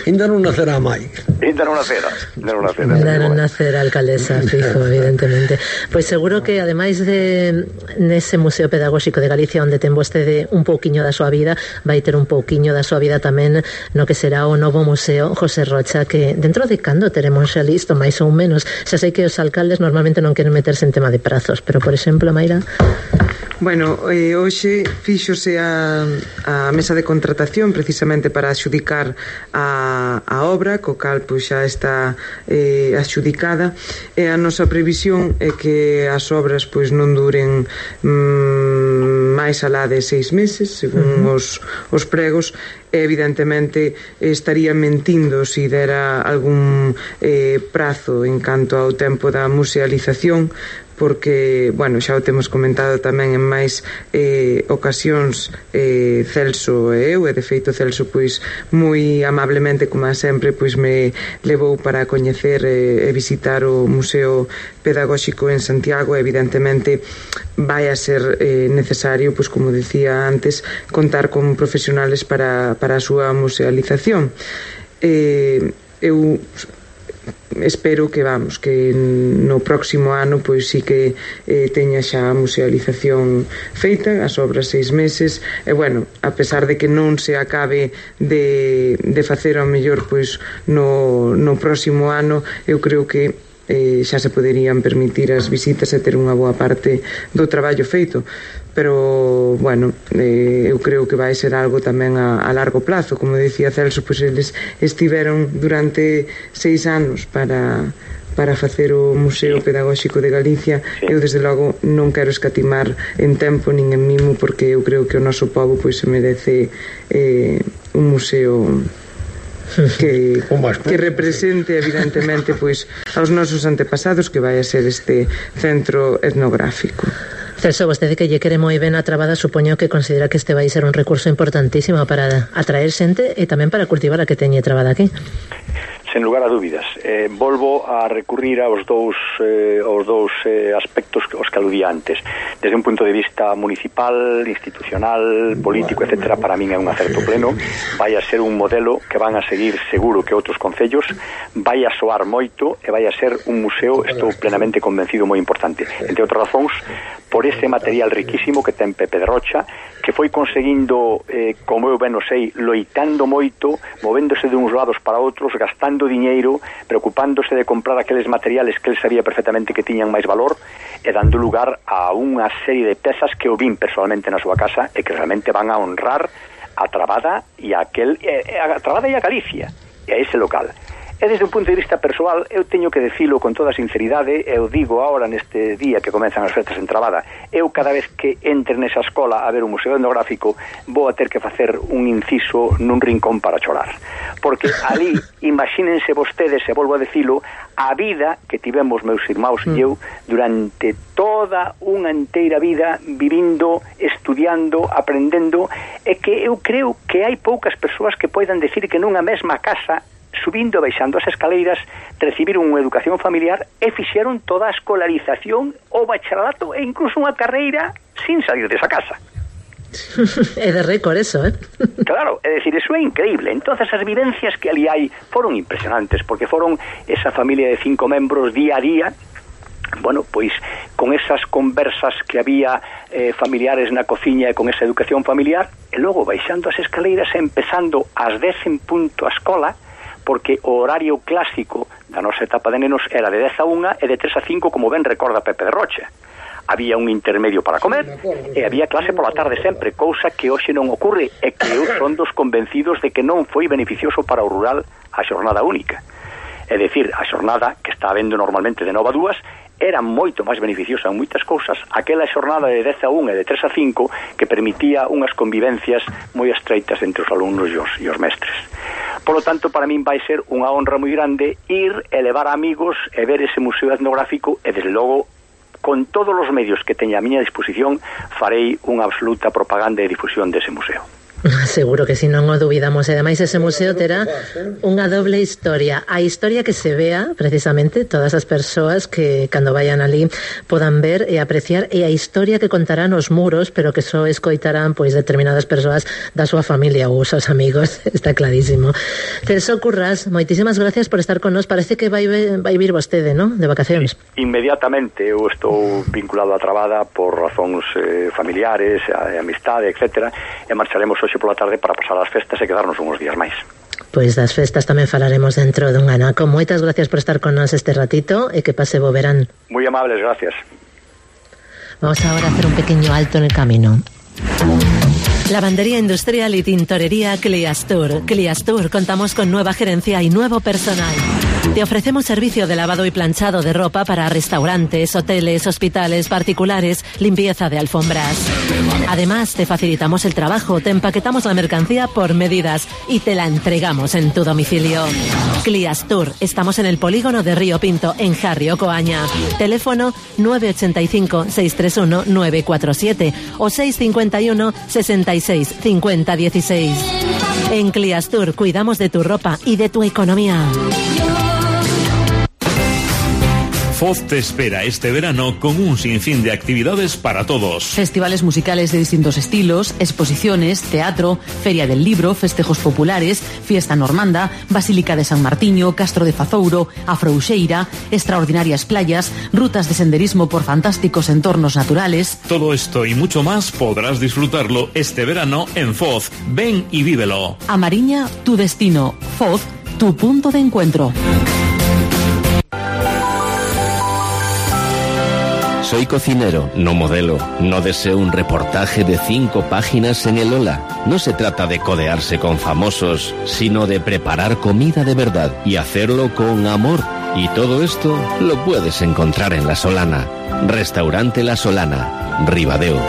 [SPEAKER 8] Ainda non nacera mai.
[SPEAKER 9] Ainda non nacera. Ainda non nacera.
[SPEAKER 7] Ainda non nacera, alcaldesa, fijo, evidentemente. Pois seguro que, ademais de nese Museo Pedagóxico de Galicia, onde ten vostede un pouquiño da súa vida, vai ter un pouquiño da súa vida tamén no que será o novo museo José Rocha, que dentro de cando teremos xa listo, máis ou menos. Xa sei que os alcaldes normalmente non queren meterse en tema de prazos, pero, por exemplo, Mayra...
[SPEAKER 3] Bueno, eh, hoxe fíxose a, a mesa de contratación precisamente para axudicar a, a obra, co cal pois xa está eh, axudicada, e a nosa previsión é que as obras pois non duren mm, máis alá de seis meses, según uh-huh. os, os pregos. Evidentemente estaría mentindo se dera algún eh, prazo en canto ao tempo da musealización, porque, bueno, xa o temos comentado tamén en máis eh, ocasións eh, Celso e eu, e de feito Celso pois moi amablemente, como sempre, pois me levou para coñecer e, e visitar o Museo Pedagóxico en Santiago. Evidentemente vai a ser eh, necesario, pois como decía antes, contar con profesionales para, para a súa musealización. Eh, eu espero que, vamos, que no próximo ano pois sí que eh, teña xa a musealización feita, as obras seis meses, e bueno, a pesar de que non se acabe de, de facer ao mellor pois no, no próximo ano, eu creo que eh, xa se poderían permitir as visitas e ter unha boa parte do traballo feito. Pero, bueno, eh, eu creo que vai ser algo tamén a, a largo plazo. Como decía Celso, pois eles estiveron durante seis anos para, para facer o Museo Pedagóxico de Galicia. Sí. Eu desde logo non quero escatimar en tempo nin en mimo, porque eu creo que o noso pobo pois se merece eh, un museo que, que represente evidentemente pois aos nosos antepasados, que vai a ser este centro etnográfico.
[SPEAKER 7] Celso, vostede que lle quere moi ben a trabada, supoño que considera que este vai ser un recurso importantísimo para atraer xente e tamén para cultivar a que teñe trabada aquí.
[SPEAKER 9] Sen lugar a dúbidas. Eh, volvo a recurrir aos dous, eh, aos dous eh, aspectos os que aludía antes. Desde un punto de vista municipal, institucional, político, etcétera, para min é un acerto pleno. Vai a ser un modelo que van a seguir seguro que outros concellos, vai a soar moito e vai a ser un museo, estou plenamente convencido, moi importante. Entre outras razóns, por ese material riquísimo que ten Pepe de Rocha, que foi conseguindo, eh, como eu ben o sei, loitando moito, movéndose de uns lados para outros, gastando diñeiro, preocupándose de comprar aqueles materiales que el sabía perfectamente que tiñan máis valor, e dando lugar a unha serie de pezas que eu vin personalmente na súa casa e que realmente van a honrar a Trabada e a aquel, e, a Trabada e a Galicia, e a ese local. E desde un punto de vista persoal, eu teño que decilo con toda sinceridade, eu digo ahora neste día que comenzan as festas en Trabada, eu cada vez que entre nesa escola a ver un museo etnográfico vou a ter que facer un inciso nun rincón para chorar, porque ali, imagínense vostedes, e volvo a decilo, a vida que tivemos meus irmãos e eu durante toda unha inteira vida vivindo, estudiando, aprendendo, e que eu creo que hai poucas persoas que poidan decir que nunha mesma casa, subindo e baixando as escaleiras, recibiron unha educación familiar e fixeron toda a escolarización, o bacharelato e incluso unha carreira sin salir desa casa.
[SPEAKER 7] É de récord eso, eh?
[SPEAKER 9] Claro, é dicir, eso é increíble. Entonces as vivencias que ali hai foron impresionantes, porque foron esa familia de cinco membros día a día, bueno, pois con esas conversas que había eh, familiares na cociña e con esa educación familiar, e logo baixando as escaleiras e empezando ás dez en punto a escola, porque o horario clásico da nosa etapa de nenos era de dez a unha e de tres a cinco, como ben recorda Pepe de Rocha. Había un intermedio para comer e había clase pola tarde sempre, cousa que hoxe non ocorre, e que eu son dos convencidos de que non foi beneficioso para o rural a xornada única. É dicir, a xornada que está habendo normalmente de nove a dúas era moito máis beneficiosa en moitas cousas aquela xornada de dez a unha e de tres a cinco, que permitía unhas convivencias moi estreitas entre os alumnos e os, e os mestres. Por lo tanto, para min vai ser unha honra moi grande ir e levar a amigos e ver ese museo etnográfico, e desde logo, con todos os medios que teña a miña disposición, farei unha absoluta propaganda e difusión dese museo.
[SPEAKER 7] Seguro que si non o dubidamos. E ademais ese museo terá unha doble historia. A historia que se vea precisamente todas as persoas que cando vayan ali podan ver e apreciar, e a historia que contarán os muros, pero que só escoitarán pois determinadas persoas da súa familia ou os seus amigos. Está clarísimo. Celso Currás, moitísimas gracias por estar con nos. Parece que vai, vai vir vostede, ¿no?, de vacacións.
[SPEAKER 9] Inmediatamente. Eu estou vinculado a Trabada por razóns eh, familiares, a, a amistade, etcétera, e marcharemos hoxe pola tarde para pasar as festas e quedarnos uns días máis.
[SPEAKER 7] Pois das festas tamén falaremos dentro dun anaco. Moitas gracias por estar con nos este ratito e que pase bo verán.
[SPEAKER 9] Moi amables, gracias.
[SPEAKER 7] Vamos ahora a hacer un pequeño alto en el camino. Lavandería industrial y tintorería Cliastur. Cliastur, contamos con nueva gerencia y nuevo personal. Te ofrecemos servicio de lavado y planchado de ropa para restaurantes, hoteles, hospitales, particulares, limpieza de alfombras. Además, te facilitamos el trabajo, te empaquetamos la mercancía por medidas y te la entregamos en tu domicilio. Cliastur, estamos en el polígono de Río Pinto, en Jarrio, Coaña. Teléfono nueve ocho cinco, seis tres uno, nueve cuatro siete o seis cinco uno, sesenta y seis, cincuenta dieciséis. En Cliastur cuidamos de tu ropa y de tu economía.
[SPEAKER 10] Foz te espera este verano con un sinfín de actividades para todos.
[SPEAKER 11] Festivales musicales de distintos estilos, exposiciones, teatro, feria del libro, festejos populares, fiesta normanda, Basílica de San Martiño, Castro de Fazouro, Afrouxeira, extraordinarias playas, rutas de senderismo por fantásticos entornos naturales.
[SPEAKER 10] Todo esto y mucho más podrás disfrutarlo este verano en Foz. Ven y vívelo.
[SPEAKER 11] A Mariña, tu destino. Foz, tu punto de encuentro.
[SPEAKER 12] Soy cocinero, no modelo. No deseo un reportaje de cinco páginas en el Ola. No se trata de codearse con famosos, sino de preparar comida de verdad y hacerlo con amor. Y todo esto lo puedes encontrar en La Solana. Restaurante La Solana, Ribadeo.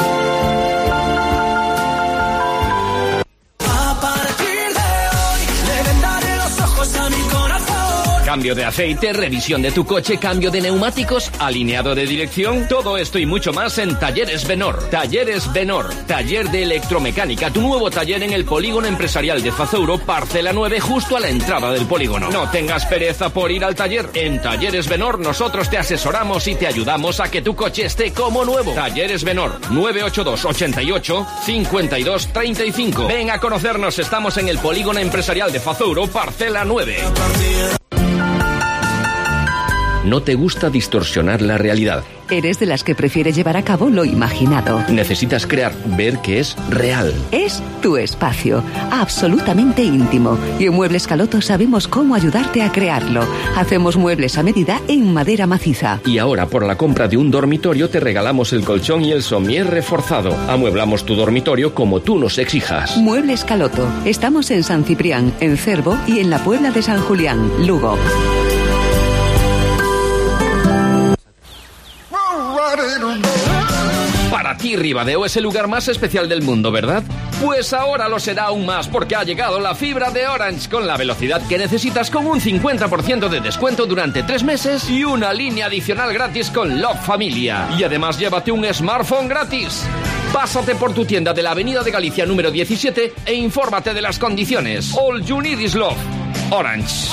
[SPEAKER 5] Cambio de aceite, revisión de tu coche, cambio de neumáticos, alineado de dirección, todo esto y mucho más en Talleres Benor. Talleres Benor, taller de electromecánica, tu nuevo taller en el Polígono Empresarial de Fazouro, parcela nueve, justo a la entrada del polígono. No tengas pereza por ir al taller. En Talleres Benor nosotros te asesoramos y te ayudamos a que tu coche esté como nuevo. Talleres Benor, nueve ocho dos, ochenta y ocho, cincuenta y dos, treinta y cinco. Ven a conocernos, estamos en el Polígono Empresarial de Fazouro, parcela nueve.
[SPEAKER 12] ¿No te gusta distorsionar la realidad?
[SPEAKER 13] ¿Eres de las que prefiere llevar a cabo lo imaginado?
[SPEAKER 12] Necesitas crear, ver que es real.
[SPEAKER 13] Es tu espacio, absolutamente íntimo. Y en Muebles Caloto sabemos cómo ayudarte a crearlo. Hacemos muebles a medida en madera maciza.
[SPEAKER 12] Y ahora, por la compra de un dormitorio, te regalamos el colchón y el somier reforzado. Amueblamos tu dormitorio como tú nos exijas.
[SPEAKER 13] Muebles Caloto. Estamos en San Ciprián, en Cervo y en la Puebla de San Julián, Lugo.
[SPEAKER 5] Para ti, Ribadeo es el lugar más especial del mundo, ¿verdad? Pues ahora lo será aún más porque ha llegado la fibra de Orange con la velocidad que necesitas con un cincuenta por ciento de descuento durante tres meses y una línea adicional gratis con Love Familia. Y además llévate un smartphone gratis. Pásate por tu tienda de la Avenida de Galicia número diecisiete e infórmate de las condiciones. All you need is love. Orange.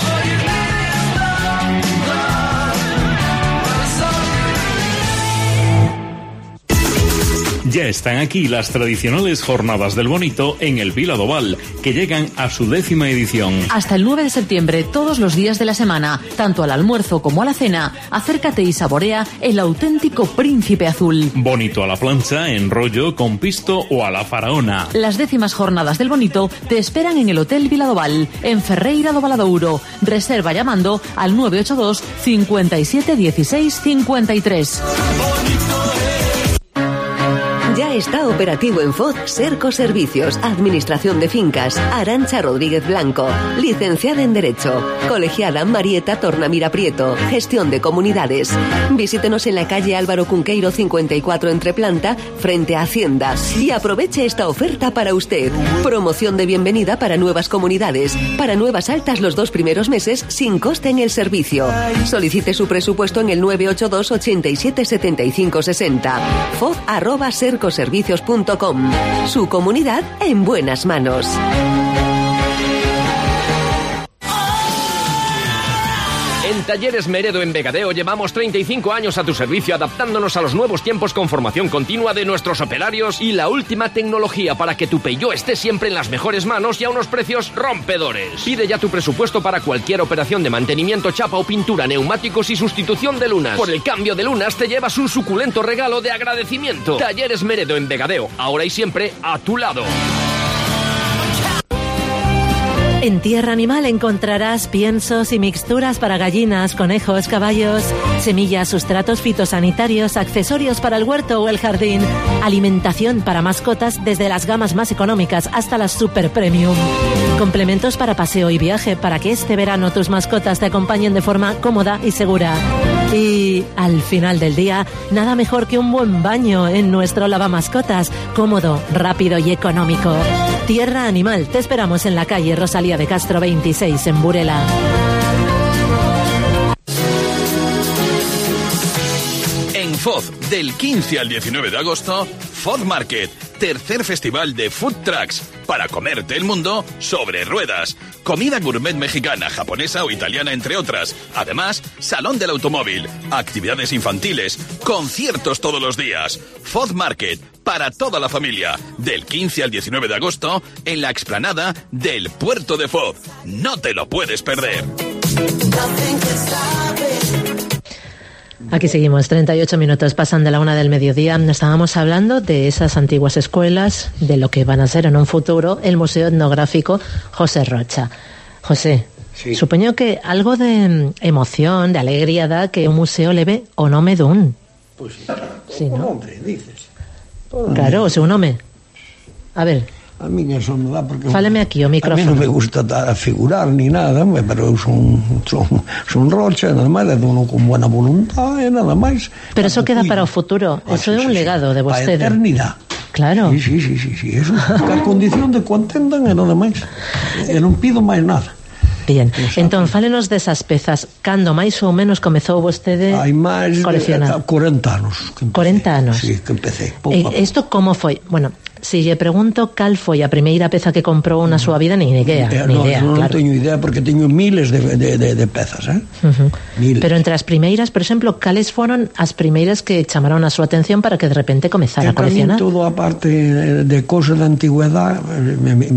[SPEAKER 10] Ya están aquí las tradicionales Jornadas del Bonito en el Vila do Val, que llegan a su décima edición.
[SPEAKER 11] Hasta el nueve de septiembre, todos los días de la semana, tanto al almuerzo como a la cena, acércate y saborea el auténtico príncipe azul.
[SPEAKER 10] Bonito a la plancha, en rollo, con pisto o a la faraona.
[SPEAKER 11] Las décimas Jornadas del Bonito te esperan en el Hotel Vila do Val, en Ferreira do Valadouro. Reserva llamando al nueve ocho dos, cincuenta y siete, dieciséis, cincuenta y tres.
[SPEAKER 13] Ya está operativo en F O D Serco Servicios, Administración de Fincas. Arantxa Rodríguez Blanco, licenciada en Derecho. Colegiada Marieta Tornamira Prieto, Gestión de Comunidades. Visítenos en la calle Álvaro Cunqueiro cincuenta y cuatro entre planta, frente a Hacienda. Y aproveche esta oferta para usted. Promoción de bienvenida para nuevas comunidades. Para nuevas altas los dos primeros meses sin coste en el servicio. Solicite su presupuesto en el nueve ocho dos, ochenta y siete, setenta y cinco, sesenta. F O D arroba serco servicios punto com. Su comunidad en buenas manos.
[SPEAKER 5] En Talleres Meredo en Vegadeo llevamos treinta y cinco años a tu servicio, adaptándonos a los nuevos tiempos con formación continua de nuestros operarios y la última tecnología para que tu Peugeot esté siempre en las mejores manos y a unos precios rompedores. Pide ya tu presupuesto para cualquier operación de mantenimiento, chapa o pintura, neumáticos y sustitución de lunas. Por el cambio de lunas te llevas un suculento regalo de agradecimiento. Talleres Meredo en Vegadeo, ahora y siempre a tu lado.
[SPEAKER 7] En Tierra Animal encontrarás piensos y mixturas para gallinas, conejos, caballos, semillas, sustratos fitosanitarios, accesorios para el huerto o el jardín, alimentación para mascotas desde las gamas más económicas hasta las super premium, complementos para paseo y viaje para que este verano tus mascotas te acompañen de forma cómoda y segura. Y al final del día, nada mejor que un buen baño en nuestro lavamascotas, cómodo, rápido y económico. Tierra Animal, te esperamos en la calle Rosalía de Castro veintiséis en Burela.
[SPEAKER 14] En F O D, del quince al diecinueve de agosto, F O D Market, tercer festival de food trucks, para comerte el mundo sobre ruedas. Comida gourmet mexicana, japonesa o italiana, entre otras. Además, salón del automóvil, actividades infantiles, conciertos todos los días. F O D Market, para toda la familia, del quince al diecinueve de agosto, en la explanada del Puerto de F O D. No te lo puedes perder.
[SPEAKER 7] Aquí seguimos, treinta y ocho minutos pasan de la una del mediodía. Estábamos hablando de esas antiguas escuelas, de lo que van a ser en un futuro el Museo Etnográfico José Rocha. José, sí. Supoño que algo de emoción, de alegría da que un museo leve o nome dun.
[SPEAKER 8] Pois sí,
[SPEAKER 7] sí,
[SPEAKER 8] o
[SPEAKER 7] ¿no?
[SPEAKER 8] nombre, dices.
[SPEAKER 7] Claro, o seu nome. A ver,
[SPEAKER 8] A mí eso me dá porque...
[SPEAKER 7] Fáleme aquí o micrófono.
[SPEAKER 8] A mí non me gusta a figurar ni nada, pero eu son, son, son rocha, nada máis, é uno con buena voluntad, e nada máis.
[SPEAKER 7] Pero eso queda para o futuro, ah, eso sí, é un sí, legado de vostede.
[SPEAKER 8] A eternidade.
[SPEAKER 7] Claro.
[SPEAKER 8] Sí, sí, sí, sí, sí. Eso, a condición de que o entendan e nada máis. E non pido máis nada.
[SPEAKER 7] Bien, entón, fálenos desas pezas. Cando máis ou menos comezou vostede
[SPEAKER 8] hai máis
[SPEAKER 7] coleccionar?
[SPEAKER 8] De corenta anos que empecé.
[SPEAKER 7] corenta anos?
[SPEAKER 8] Sí, que empecé.
[SPEAKER 7] E isto como foi? Bueno, se lle pregunto cal foi a primeira peza que comprou na súa vida, nin idea,
[SPEAKER 8] eh,
[SPEAKER 7] ni
[SPEAKER 8] no,
[SPEAKER 7] idea,
[SPEAKER 8] non
[SPEAKER 7] claro.
[SPEAKER 8] teño idea porque teño miles de, de, de, de pezas, eh?
[SPEAKER 7] Uh-huh.
[SPEAKER 8] Miles.
[SPEAKER 7] Pero entre as primeiras, por exemplo, cales foron as primeiras que chamaron a súa atención para que de repente comezara a coleccionar?
[SPEAKER 8] Todo a parte de cousas da antigüedade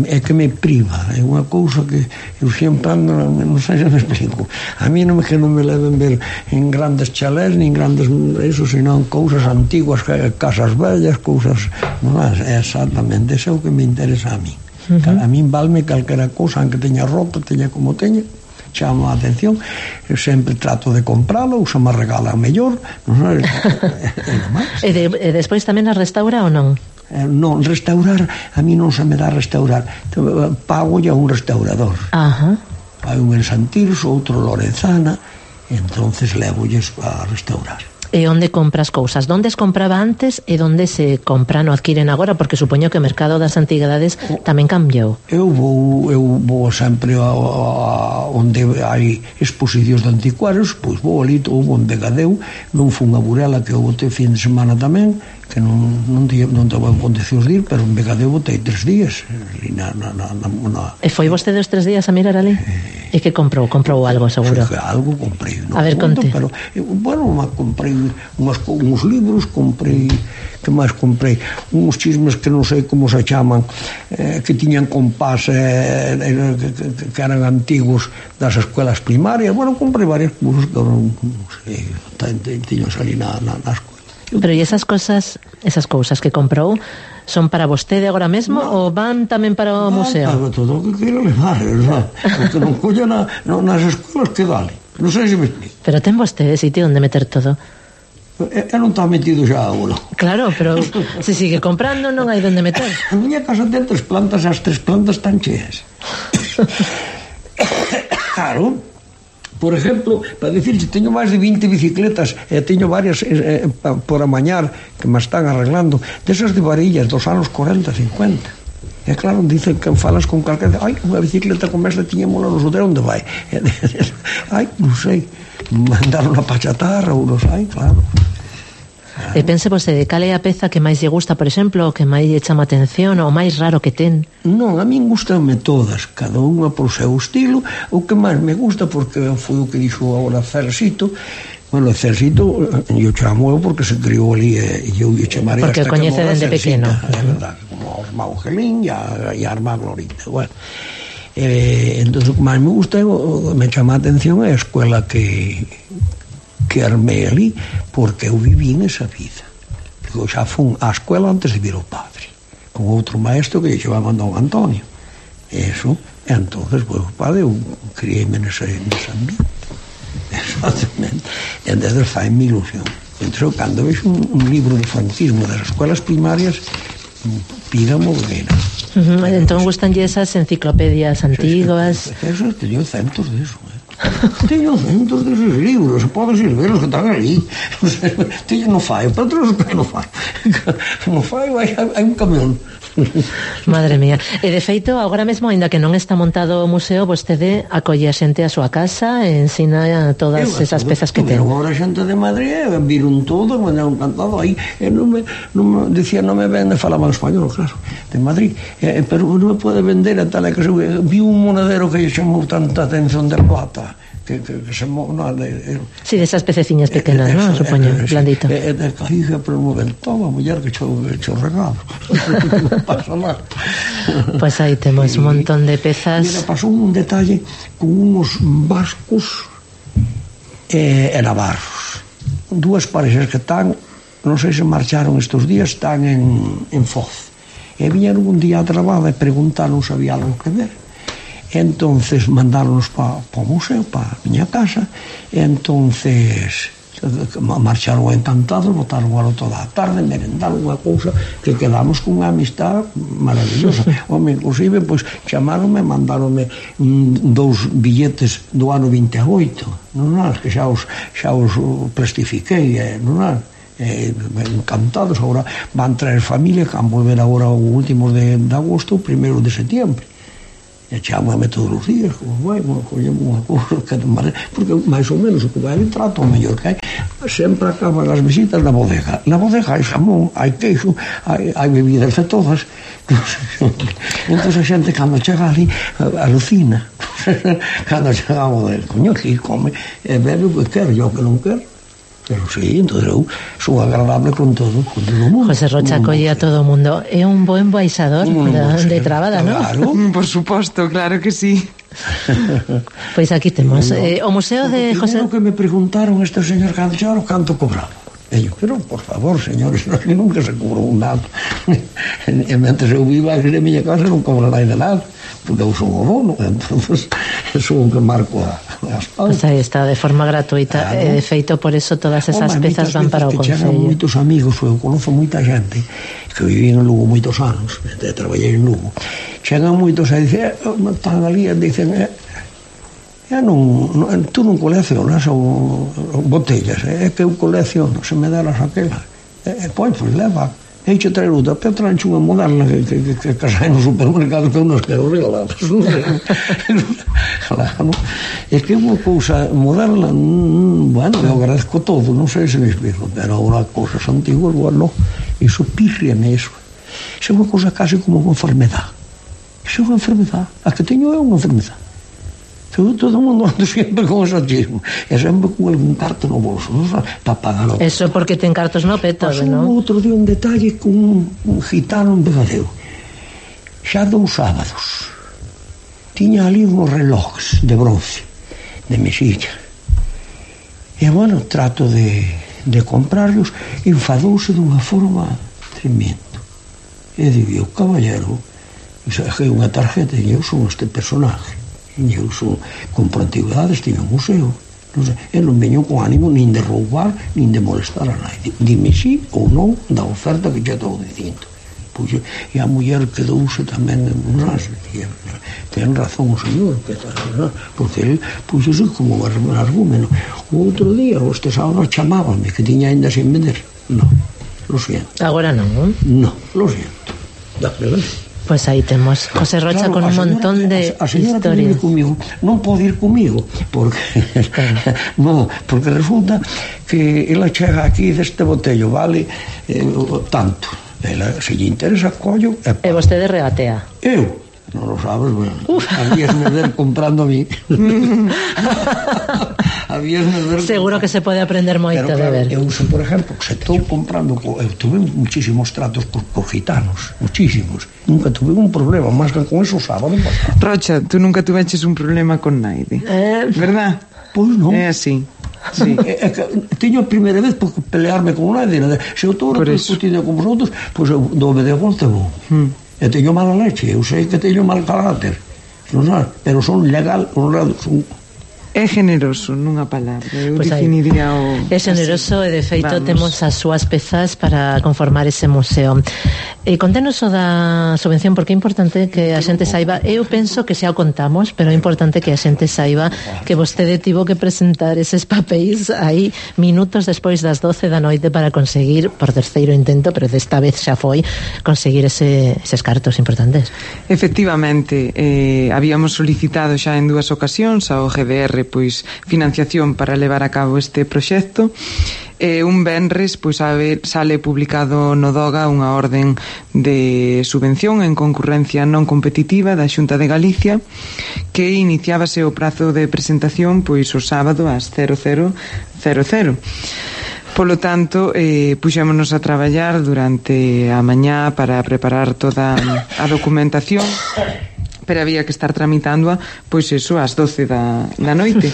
[SPEAKER 8] é que me priva, é unha cousa que eu sempre ando, non sei se me explico, a mí non me que non me leven ver en grandes chalés nin grandes eso, senón cousas antiguas, casas vellas, cousas, non é exactamente, eso é o que me interesa a mí. Uh-huh. A mí valme calquera cousa, aunque teña rota, teña como teña, chama a atención, eu sempre trato de compralo, ou se me regala mellor, non sei,
[SPEAKER 7] e, de, e despois tamén a restaura ou non?
[SPEAKER 8] Eh, non, restaurar, a mí non se me dá restaurar, pago a un restaurador.
[SPEAKER 7] Ajá.
[SPEAKER 8] Hai un en Santirso, outro Lorenzana, e entonces levólles a restaurar.
[SPEAKER 7] E onde compras cousas? Donde as compraba antes e donde se compran ou adquiren agora? Porque supoño que o mercado das antigüedades tamén cambiou.
[SPEAKER 8] Eu vou, eu vou sempre a, a, onde hai exposicións de anticuarios, pois vou ali, houve en Vegadeu, non fun a Burela, que eu botei fin de semana tamén, que non, non, non tevo condicións de ir, pero en Vegadeu botei tres días. Na, na, na, na...
[SPEAKER 7] E foi vostede os tres días a mirar ali? Eh... E que comprou? Comprou algo, seguro?
[SPEAKER 8] Que algo comprei. No
[SPEAKER 7] a ver,
[SPEAKER 8] conto,
[SPEAKER 7] conte.
[SPEAKER 8] Pero, bueno, comprei unos, uns libros, comprei, que máis comprei? Uns chismes que non sei como se chaman, eh, que tiñan compás, eh, que, que eran antigos das escuelas primarias. Bueno, comprei varias cousas que non sei, tiñan ali na, na, nas cousas.
[SPEAKER 7] Pero e esas cosas, esas cousas que comprou, son para vostede agora mesmo no, ou van tamén para o
[SPEAKER 8] no,
[SPEAKER 7] museo?
[SPEAKER 8] Para todo o que queira levar, ¿verdad? Porque non colla na, no, nas escolas que dale. Non sei se me explico.
[SPEAKER 7] Pero ten vostede sitio onde meter todo.
[SPEAKER 8] E, e non está metido xa agora.
[SPEAKER 7] Claro, pero se sigue comprando non hai onde meter.
[SPEAKER 8] A miña casa ten tres plantas e as tres plantas están cheas. Claro. Por exemplo, para dicir que teño máis de vinte bicicletas e teño varias eh, por amañar que me están arreglando, desas de varillas dos anos corenta, cincuenta. E claro, dicen que falas con calquera, ai, unha bicicleta como esta tiñémola no sudero, onde vai? Ai, non sei, mandaron a pachatarra ou non sei, claro.
[SPEAKER 7] E pense vostede, cal é a peza que máis lle gusta, por exemplo, o que máis lle chama atención, ou máis raro que ten?
[SPEAKER 8] Non, a min gustanme todas, cada unha por seu estilo. O que máis me gusta, porque foi o que dixo agora Cersito, bueno, Cersito, eu chamo eu porque se criou ali, e eu lle chamarei
[SPEAKER 7] porque
[SPEAKER 8] hasta
[SPEAKER 7] coñece
[SPEAKER 8] que morra
[SPEAKER 7] dende pequeno.
[SPEAKER 8] É verdade, como a irmá Angelín e a, a irmá Glorita, bueno. Eh, entón, o que máis me gusta, me chama a atención é a escuela que... que armei ali, porque eu viví nesa vida. Eu xa fun á escuela antes de vir ao padre, con outro maestro que lle chamaba Don Antonio. Eso, e entonces, pois, o padre, eu criei-me nese, nese ambiente. Exactamente. E desde fai-me ilusión. Entón, cando vexo un, un libro de franquismo das escuelas primarias, pídamo que era.
[SPEAKER 7] Uh-huh. Entón, gustanlle esas enciclopedias antiguas?
[SPEAKER 8] Eso, teño centos de eso, eh? Teño centos deses libros, podes ir ver os que están ali. Teño no fai, pero outros que non fai. No fai, hai un camión.
[SPEAKER 7] Madre mía. E de feito, agora mesmo, ainda que non está montado o museo, vostede acolle a xente a súa casa e ensina todas eu, esas todo, pezas que ten.
[SPEAKER 8] Agora a xente de Madrid viron todo, me han encantado aí. E non me, non me dicía, non me vende, falaban español, claro, de Madrid. E, pero non me pode vender a tal que se vi un monedero que lle chamou tanta atención de plata. Que, que, que se mo, no, de, de,
[SPEAKER 7] sí, de esas pececiñas pequenas, eh, ¿no? Supoño, eh, blandito.
[SPEAKER 8] E de caída por un momento, a muller que cho, cho regalo. Non pasa nada.
[SPEAKER 7] Pois aí temos un montón de pezas.
[SPEAKER 8] Mira, pasou un detalle con unos vascos e, e navarros. Dúas parexas que están, non sei se marcharon estes días, están en, en Foz. E viñeron un día a traballo e preguntaron se había algo que ver. Entonces mandáronos para pa o museo, para a miña casa, e entonces marcharon encantados, botaron alo toda a tarde, merendaron unha cousa que quedamos con unha amistad maravillosa. Home, inclusive, pois, chamaronme, mandaronme mm, dous billetes do ano vinte e oito, non é? Que xa os, xa os plastifiquei, eh, non é? Eh, encantados. Agora van traer familia, que van volver agora o último de, de agosto, o primeiro de setiembre. E chamame todos os días, como vai, collemos unha cousa, porque máis ou menos o que vai ali trato o mellor que hai. Sempre acaban as visitas na bodega. Na bodega hai xamón, hai queixo, hai, hai bebidas de todas. Entón a xente, cando chega ali, alucina. Cando chega a bodega, coño, aquí come, e bebe o que quer, yo que non quero. Pero sí, entón eu sou agradable con todo, con todo o mundo.
[SPEAKER 7] José Rocha acolle a todo o mundo. É un bo embaixador de, de Trabada, non?
[SPEAKER 8] Claro,
[SPEAKER 3] por suposto, claro que sí.
[SPEAKER 7] Pois aquí temos no. eh, o Museo de José...
[SPEAKER 8] O que me preguntaron este señor Cancharo canto cobraba. E eu, pero por favor, señores, nunca se cobrou un nada. E mentre eu viva aquí na miña casa non cobrará de nada, porque eu sou o dono, entonces sou o que marco a, as pautas.
[SPEAKER 7] Pois aí está, de forma gratuita, claro. E de feito por eso todas esas Home, pezas van para o Concello.
[SPEAKER 8] Chegan moitos amigos, eu conozo moita xente que viví en Lugo moitos anos, e traballei en Lugo. Chegan moitos a dicer, están ali e dicen, eh, eh, non, non, tú non coleccionas o, o botellas, é eh, que eu colecciono, se me delas aquela, e eh, pois, pois leva, e xe traer outra, pero trancho unha moderna que, que, que, que casai no supermercado que eu non quero regaladas. Claro, é que unha cousa moderna, mm, bueno, eu agradezco todo, non sei se me explico, pero agora cousas antiguas, bueno, iso pírriame iso. Iso é unha cousa casi como unha enfermedad. Iso é unha enfermedad, a que teño é unha enfermedad. Todo o mundo anda sempre con o exotismo e sempre con algún carto no bolso, non sabe, para pagar o...
[SPEAKER 7] Eso porque ten cartos no peto, non?
[SPEAKER 8] Pasou outro día un detalle con un, un gitano en Vegadeo, xa dous sábados tiña ali uns relojes de bronce de mesilla e bueno, trato de, de comprarlos, enfadouse dunha forma tremendo e digo, caballero, é unha tarjeta e eu son este personaje e eu son, compro antigüedades, estive en museo, non sei, e non veño con ánimo nin de roubar nin de molestar a nadie, dime sí ou non da oferta que xa estou dicindo. Pois, e a muller quedouse tamén, non sei, ten razón o señor, que tal, non? Porque ele puxo como un argumento. O outro día, este sábado chamábame que tiña ainda sin vender. Non, lo siento.
[SPEAKER 7] Agora non, non?
[SPEAKER 8] Non, lo siento. Dame, ¿vale?
[SPEAKER 7] Pois pues aí temos José Rocha claro, con un montón de
[SPEAKER 8] a, a
[SPEAKER 7] historias.
[SPEAKER 8] Comigo, non pode ir comigo porque no, porque resulta que ela chega aquí deste botello, vale eh, tanto. Ela, se lle interesa, collo e,
[SPEAKER 7] e vostede regatea.
[SPEAKER 8] Eu? Non lo sabes, bueno. Habías me ver comprando a mí. Habías me ver
[SPEAKER 7] seguro que se pode aprender moito de ver.
[SPEAKER 8] Eu uso, por exemplo, que se estou comprando, eu tuve muchísimos tratos por, por gitanos, muchísimos. Nunca tuve un problema, máis que con eso sábado pasado.
[SPEAKER 3] Rocha, tú nunca tuveches un problema con naide, eh, verdad?
[SPEAKER 8] Pois non.
[SPEAKER 3] É así. Sí.
[SPEAKER 8] É que teño a primeira vez por pelearme con naide. Se eu estou discutindo con vosotros, pois eu dove de volta vou. Hmm. E teño mala leche, eu sei que teño mal carácter, non sabe? Pero son legal, honrado, son...
[SPEAKER 3] É generoso, nunha palabra. Eu
[SPEAKER 7] pues
[SPEAKER 3] definiría o...
[SPEAKER 7] É generoso así. E de feito
[SPEAKER 3] Vamos.
[SPEAKER 7] Temos as súas pezas para conformar ese museo. E conténos o da subvención, porque é importante que a xente saiba. Eu penso que xa o contamos, pero é importante que a xente saiba que vostede tivo que presentar eses papéis aí minutos despois das doce da noite para conseguir, por terceiro intento, pero desta vez xa foi, conseguir ese, eses cartos importantes.
[SPEAKER 3] Efectivamente, eh, habíamos solicitado xa en dúas ocasións ao G D R pois financiación para levar a cabo este proxecto. E un venres pois sale publicado no DOGA unha orden de subvención en concurrencia non competitiva da Xunta de Galicia que iniciábase o prazo de presentación pois o sábado ás cero cero cero cero. Polo tanto, eh, puxémonos a traballar durante a mañá para preparar toda a documentación, pero había que estar tramitándoa pois eso ás doce da, da noite.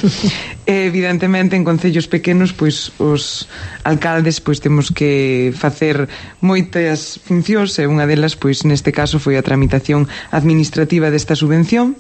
[SPEAKER 3] E, evidentemente en concellos pequenos pois os alcaldes pois temos que facer moitas funcións e unha delas pois neste caso foi a tramitación administrativa desta subvención.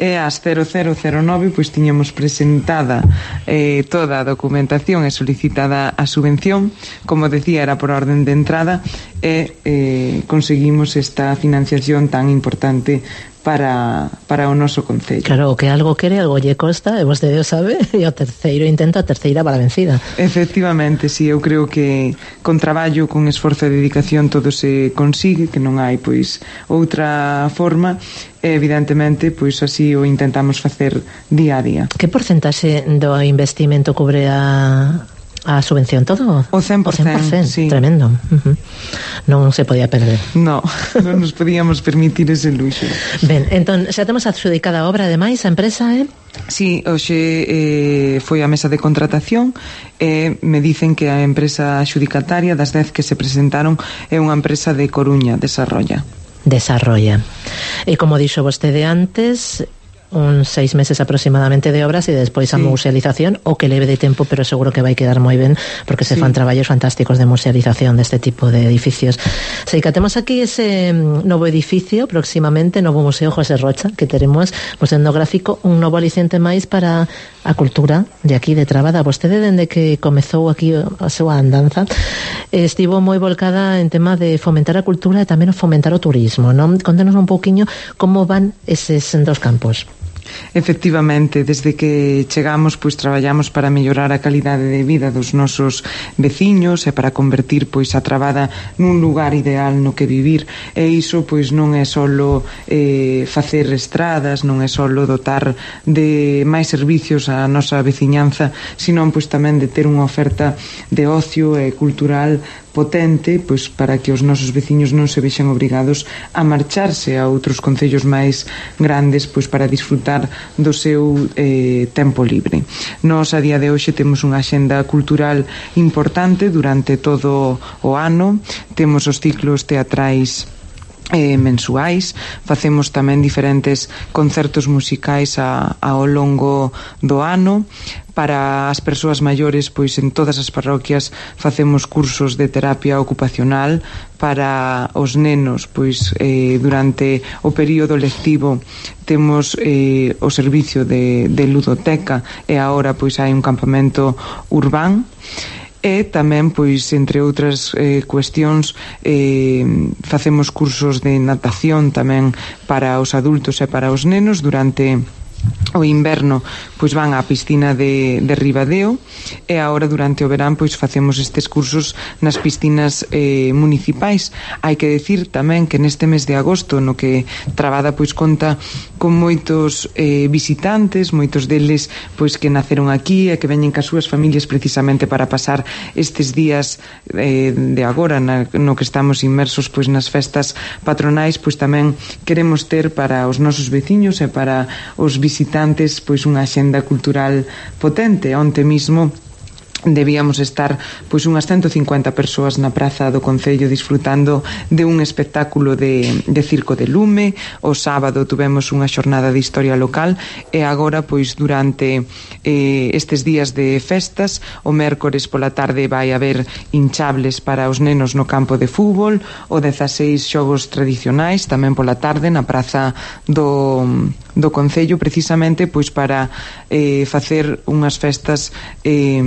[SPEAKER 3] e ás cero cero cero nove pois tiñamos presentada eh, toda a documentación e solicitada a subvención, como decía, era por orden de entrada, e eh, conseguimos esta financiación tan importante para, para o noso concello.
[SPEAKER 7] Claro, o que algo quere, algo lle costa, e vostede o sabe, e o terceiro intento, a terceira para vencida.
[SPEAKER 3] Efectivamente, si, eu creo que con traballo, con esforzo e dedicación todo se consigue, que non hai pois outra forma, e evidentemente pois así o intentamos facer día a día.
[SPEAKER 7] Que porcentaxe do investimento cubre a a subvención todo?
[SPEAKER 3] O cen por cento,
[SPEAKER 7] o cen por cento,
[SPEAKER 3] sí.
[SPEAKER 7] Tremendo. Uh-huh. Non se podía perder.
[SPEAKER 3] No, non nos podíamos permitir ese luxo.
[SPEAKER 7] Ben, entón, xa temos adxudicada a obra, ademais, a empresa, eh?
[SPEAKER 3] Sí, hoxe eh, foi a mesa de contratación e me dicen que a empresa adxudicataria das dez que se presentaron é unha empresa de Coruña, Desarrolla.
[SPEAKER 7] Desarrolla. E como dixo vostede antes, uns seis meses aproximadamente de obras e despois a sí. musealización, o que leve de tempo, pero seguro que vai quedar moi ben, porque se sí. fan traballos fantásticos de musealización deste tipo de edificios. Sei que temos aquí ese novo edificio, próximamente, novo Museo José Rocha, que teremos Museo Etnográfico, un novo aliciente máis para a cultura de aquí de Trabada. Vostede, dende que comezou aquí a súa andanza, estivo moi volcada en tema de fomentar a cultura e tamén fomentar o turismo, non? Contenos un pouquiño como van eses dos campos.
[SPEAKER 3] Efectivamente, desde que chegamos pois traballamos para mellorar a calidade de vida dos nosos veciños e para convertir pois a Trabada nun lugar ideal no que vivir, e iso pois non é solo eh, facer estradas, non é solo dotar de máis servicios á nosa veciñanza, senón pois tamén de ter unha oferta de ocio e cultural potente, pois para que os nosos veciños non se vexan obrigados a marcharse a outros concellos máis grandes pois para disfrutar do seu eh, tempo libre. Nós a día de hoxe temos unha axenda cultural importante durante todo o ano, temos os ciclos teatrais Eh, mensuais, facemos tamén diferentes concertos musicais a, ao longo do ano. Para as persoas maiores, pois en todas as parroquias facemos cursos de terapia ocupacional. Para os nenos, pois eh, durante o período lectivo temos eh, o servicio de, de ludoteca, e agora pois hai un campamento urbán. E tamén, pois, entre outras eh, cuestións, eh, facemos cursos de natación tamén para os adultos e para os nenos. Durante o inverno pois van á piscina de, de Ribadeo, e agora durante o verán pois facemos estes cursos nas piscinas eh, municipais. Hai que decir tamén que neste mes de agosto, no que Trabada pois conta con moitos eh, visitantes, moitos deles pois que naceron aquí e que veñen cas súas familias precisamente para pasar estes días eh, de agora na, no que estamos inmersos pois nas festas patronais. Pois tamén queremos ter para os nosos veciños e para os visitantes pois unha axenda cultural potente. Onte mismo debíamos estar pois unhas ciento cincuenta persoas na praza do Concello disfrutando de un espectáculo de, de circo de lume. O sábado tuvemos unha xornada de historia local, e agora pois durante eh, estes días de festas, o mércores pola tarde vai haber hinchables para os nenos no campo de fútbol, o dezaseis xogos tradicionais tamén pola tarde na praza do do Concello, precisamente pois para eh, facer unhas festas eh,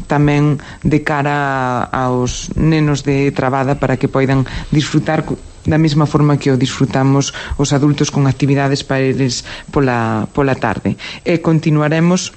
[SPEAKER 3] tamén de cara aos nenos de Trabada, para que poidan disfrutar da mesma forma que o disfrutamos os adultos con actividades para eles pola, pola tarde. E continuaremos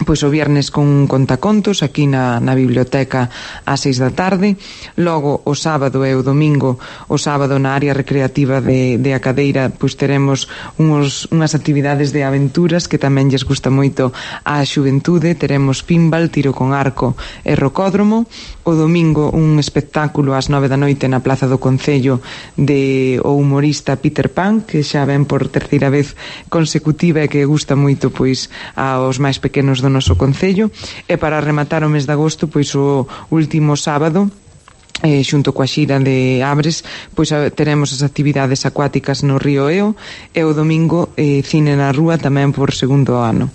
[SPEAKER 3] pois o viernes con un contacontos aquí na, na biblioteca ás seis da tarde. Logo o sábado e o domingo, o sábado na área recreativa de, de Acadeira pois teremos uns, unhas actividades de aventuras que tamén lles gusta moito á xuventude. Teremos pinball, tiro con arco e rocódromo. O domingo un espectáculo ás nove da noite na Plaza do Concello de o humorista Peter Pan, que xa ven por terceira vez consecutiva e que gusta moito pois aos máis pequenos do noso Concello. E para rematar o mes de agosto, pois o último sábado, eh, xunto coa xira de Abres, pois teremos as actividades acuáticas no Río Eo, e o domingo eh, cine na rúa tamén por segundo ano.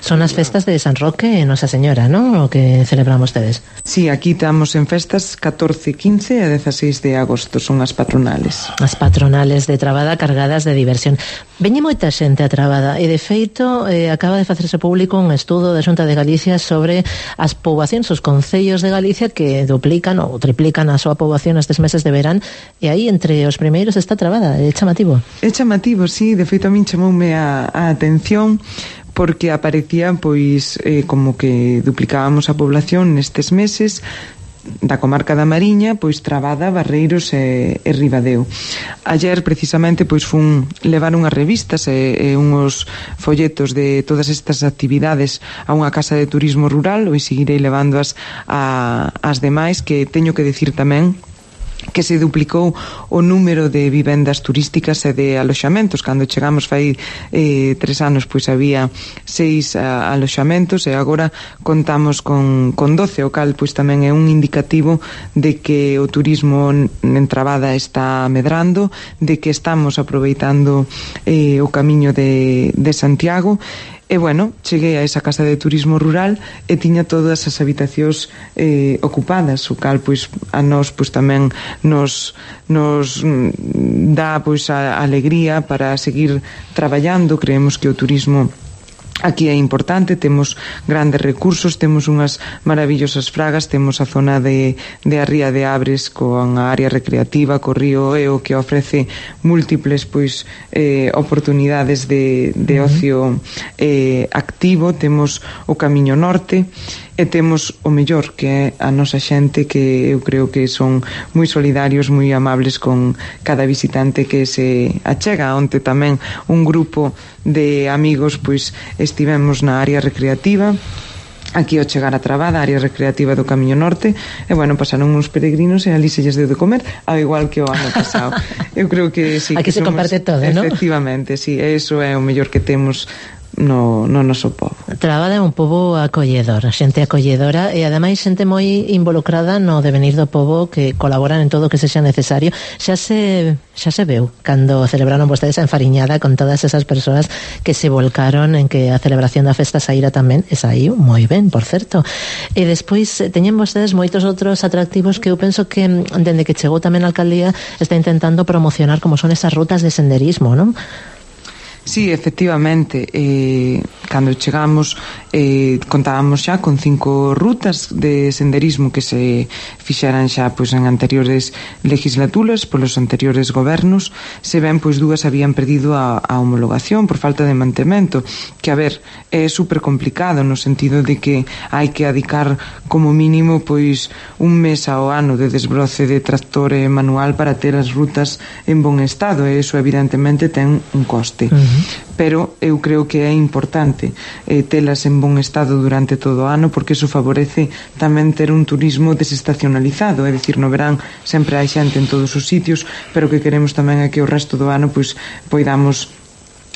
[SPEAKER 7] Son as festas de San Roque e Nosa Señora, non? O que celebran vostedes.
[SPEAKER 3] Sí, aquí estamos en festas catorce, quince e dezasseis de agosto, son as patronales.
[SPEAKER 7] As patronales de Trabada cargadas de diversión. Veñe moita xente a Trabada e, de feito, eh, acaba de facerse público un estudo da Xunta de Galicia sobre as poboacións, os concellos de Galicia que duplican ou triplican a súa poboación nestes meses de verán, e aí entre os primeiros está Trabada. É chamativo.
[SPEAKER 3] É chamativo, sí, de feito a min chamoume a, a atención porque aparecía pois eh, como que duplicábamos a población nestes meses da comarca da Mariña, pois Trabada, Barreiros e, e Ribadeo. Ayer precisamente pois fun levar unhas revistas e, e unhos folletos de todas estas actividades a unha casa de turismo rural, e seguirei levándoas a, as demais, que teño que decir tamén que se duplicou o número de vivendas turísticas e de aloxamentos. Cando chegamos fai eh, tres anos, pois había seis a, aloxamentos e agora contamos con, con doce, o cal pois tamén é un indicativo de que o turismo en Trabada está medrando, de que estamos aproveitando eh, o camiño de, de Santiago. E, bueno, cheguei a esa casa de turismo rural e tiña todas as habitacións eh, ocupadas, o cal, pois, a nós, pois, tamén nos, nos dá, pois, a alegría para seguir traballando. Creemos que o turismo aquí é importante, temos grandes recursos, temos unhas maravillosas fragas, temos a zona de, de a Ría de Abres con a área recreativa, co río Eo, que ofrece múltiples pois eh, oportunidades de, de ocio eh, activo, temos o Camiño Norte e temos o mellor, que é a nosa xente, que eu creo que son moi solidarios, moi amables con cada visitante que se achega. Onte tamén un grupo de amigos pois estivemos na área recreativa aquí ao chegar a Trabada, área recreativa do Camiño Norte, e, bueno, pasaron uns peregrinos e ali se lles deu de comer, ao igual que o ano pasado. Eu creo que sí,
[SPEAKER 7] aquí
[SPEAKER 3] que
[SPEAKER 7] se
[SPEAKER 3] somos,
[SPEAKER 7] comparte todo, ¿no?
[SPEAKER 3] Efectivamente, sí, eso é o mellor que temos no, no noso povo.
[SPEAKER 7] Trabada é un pobo acolledor, xente acolledora e ademais xente moi involucrada no devenir do pobo, que colaboran en todo o que sexa necesario. Xa se xa se veu cando celebraron vostedes a enfariñada con todas esas persoas que se volcaron en que a celebración da festa saíra tamén, e saiu moi ben, por certo. E despois teñen vostedes moitos outros atractivos que eu penso que dende que chegou tamén a alcaldía está intentando promocionar, como son esas rutas de senderismo, non?
[SPEAKER 3] Sí, efectivamente, eh, cando chegamos eh, contábamos xa con cinco rutas de senderismo que se fixeran xa pois en anteriores legislaturas polos anteriores gobernos. Se ven, pois dúas habían perdido a, a homologación por falta de mantemento, que, a ver, é super complicado no sentido de que hai que adicar como mínimo pois un mes ao ano de desbroce de tractor e manual para ter as rutas en bon estado, e iso evidentemente ten un coste. Uh-huh. Pero eu creo que é importante eh, telas en bon estado durante todo o ano, porque iso favorece tamén ter un turismo desestacionalizado, é dicir, no verán sempre hai xente en todos os sitios, pero que queremos tamén é que o resto do ano pois poidamos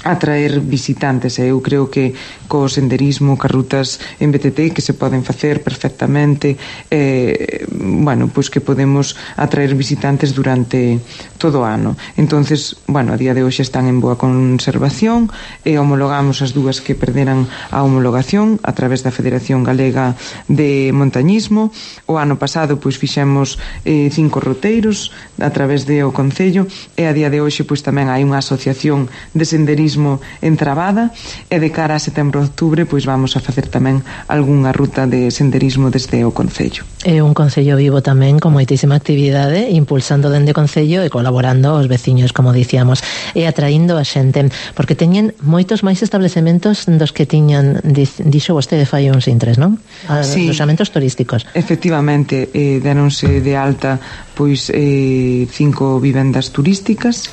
[SPEAKER 3] atraer visitantes, e eu creo que co senderismo, ca rutas en B T T que se poden facer perfectamente, eh, bueno, pois que podemos atraer visitantes durante todo o ano. Entonces, bueno, a día de hoxe están en boa conservación e homologamos as dúas que perderan a homologación a través da Federación Galega de Montañismo. O ano pasado pois fixemos eh, cinco roteiros a través de o Concello, e a día de hoxe pois tamén hai unha asociación de senderismo en Trabada, e de cara a setembro e outubro pois vamos a facer tamén algunha ruta de senderismo desde o Concello.
[SPEAKER 7] É un Concello vivo tamén con moitísima actividade, impulsando dende o Concello e colaborando aos veciños, como dicíamos, e atraindo a xente, porque teñen moitos máis establecementos dos que tiñan, dixo vostede fai uns intres, non?
[SPEAKER 3] Sí,
[SPEAKER 7] alojamentos turísticos.
[SPEAKER 3] Efectivamente, eh, deronse de alta pois eh, cinco vivendas turísticas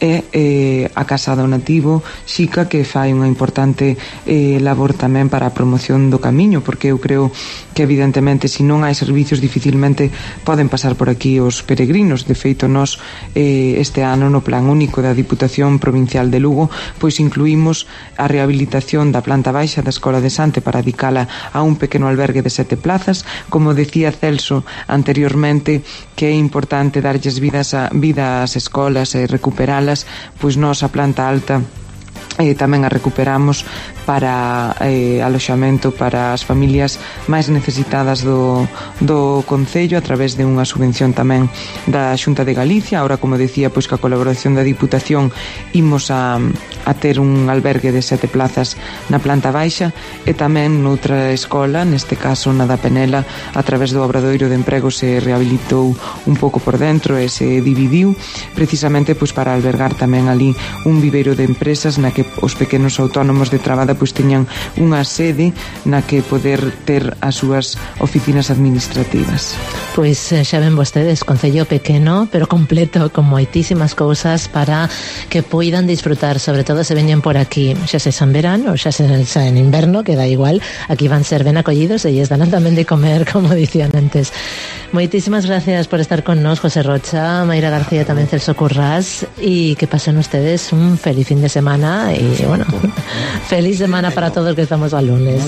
[SPEAKER 3] e eh, a Casa do Nativo Xica, que fai unha importante eh, labor tamén para a promoción do camiño, porque eu creo que evidentemente se non hai servicios dificilmente poden pasar por aquí os peregrinos. De feito, nós eh, este ano no Plan Único da Diputación Provincial de Lugo pois incluímos a rehabilitación da planta baixa da Escola de Sante para dedicala a un pequeno albergue de sete plazas. Como decía Celso anteriormente, que é importante darlles vidas a, vida ás escolas e recuperala, pois nós a planta alta e tamén a recuperamos para eh, aloxamento para as familias máis necesitadas do, do Concello a través de unha subvención tamén da Xunta de Galicia. Ahora, como decía, pois ca colaboración da Diputación imos a, a ter un albergue de sete plazas na planta baixa e tamén noutra escola, neste caso na da Penela, a través do Obradoiro de Emprego se rehabilitou un pouco por dentro e se dividiu precisamente pois para albergar tamén ali un viveiro de empresas na que os pequenos autónomos de Trabada pois teñan unha sede na que poder ter as súas oficinas administrativas.
[SPEAKER 7] Pois xa ven vostedes, concello pequeno pero completo, con moitísimas cousas para que poidan disfrutar, sobre todo se veñen por aquí, xa se en verano ou xa se en inverno, que da igual, aquí van ser ben acollidos e lles dan tamén de comer, como dicían antes. Moitísimas gracias por estar con nos, José Rocha, Mayra García, tamén Celso Currás, e que pasen ustedes un feliz fin de semana e, bueno, feliz semana para todos que estamos al lunes.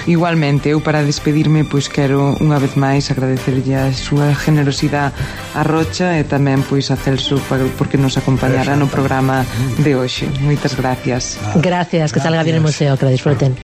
[SPEAKER 3] Igualmente, eu para despedirme pois quero unha vez máis agradecerlle a súa generosidade a Rocha e tamén pois a Celso porque nos acompañará no programa de hoxe. Moitas gracias.
[SPEAKER 7] Gracias, que salga bien el museo, que lo disfruten.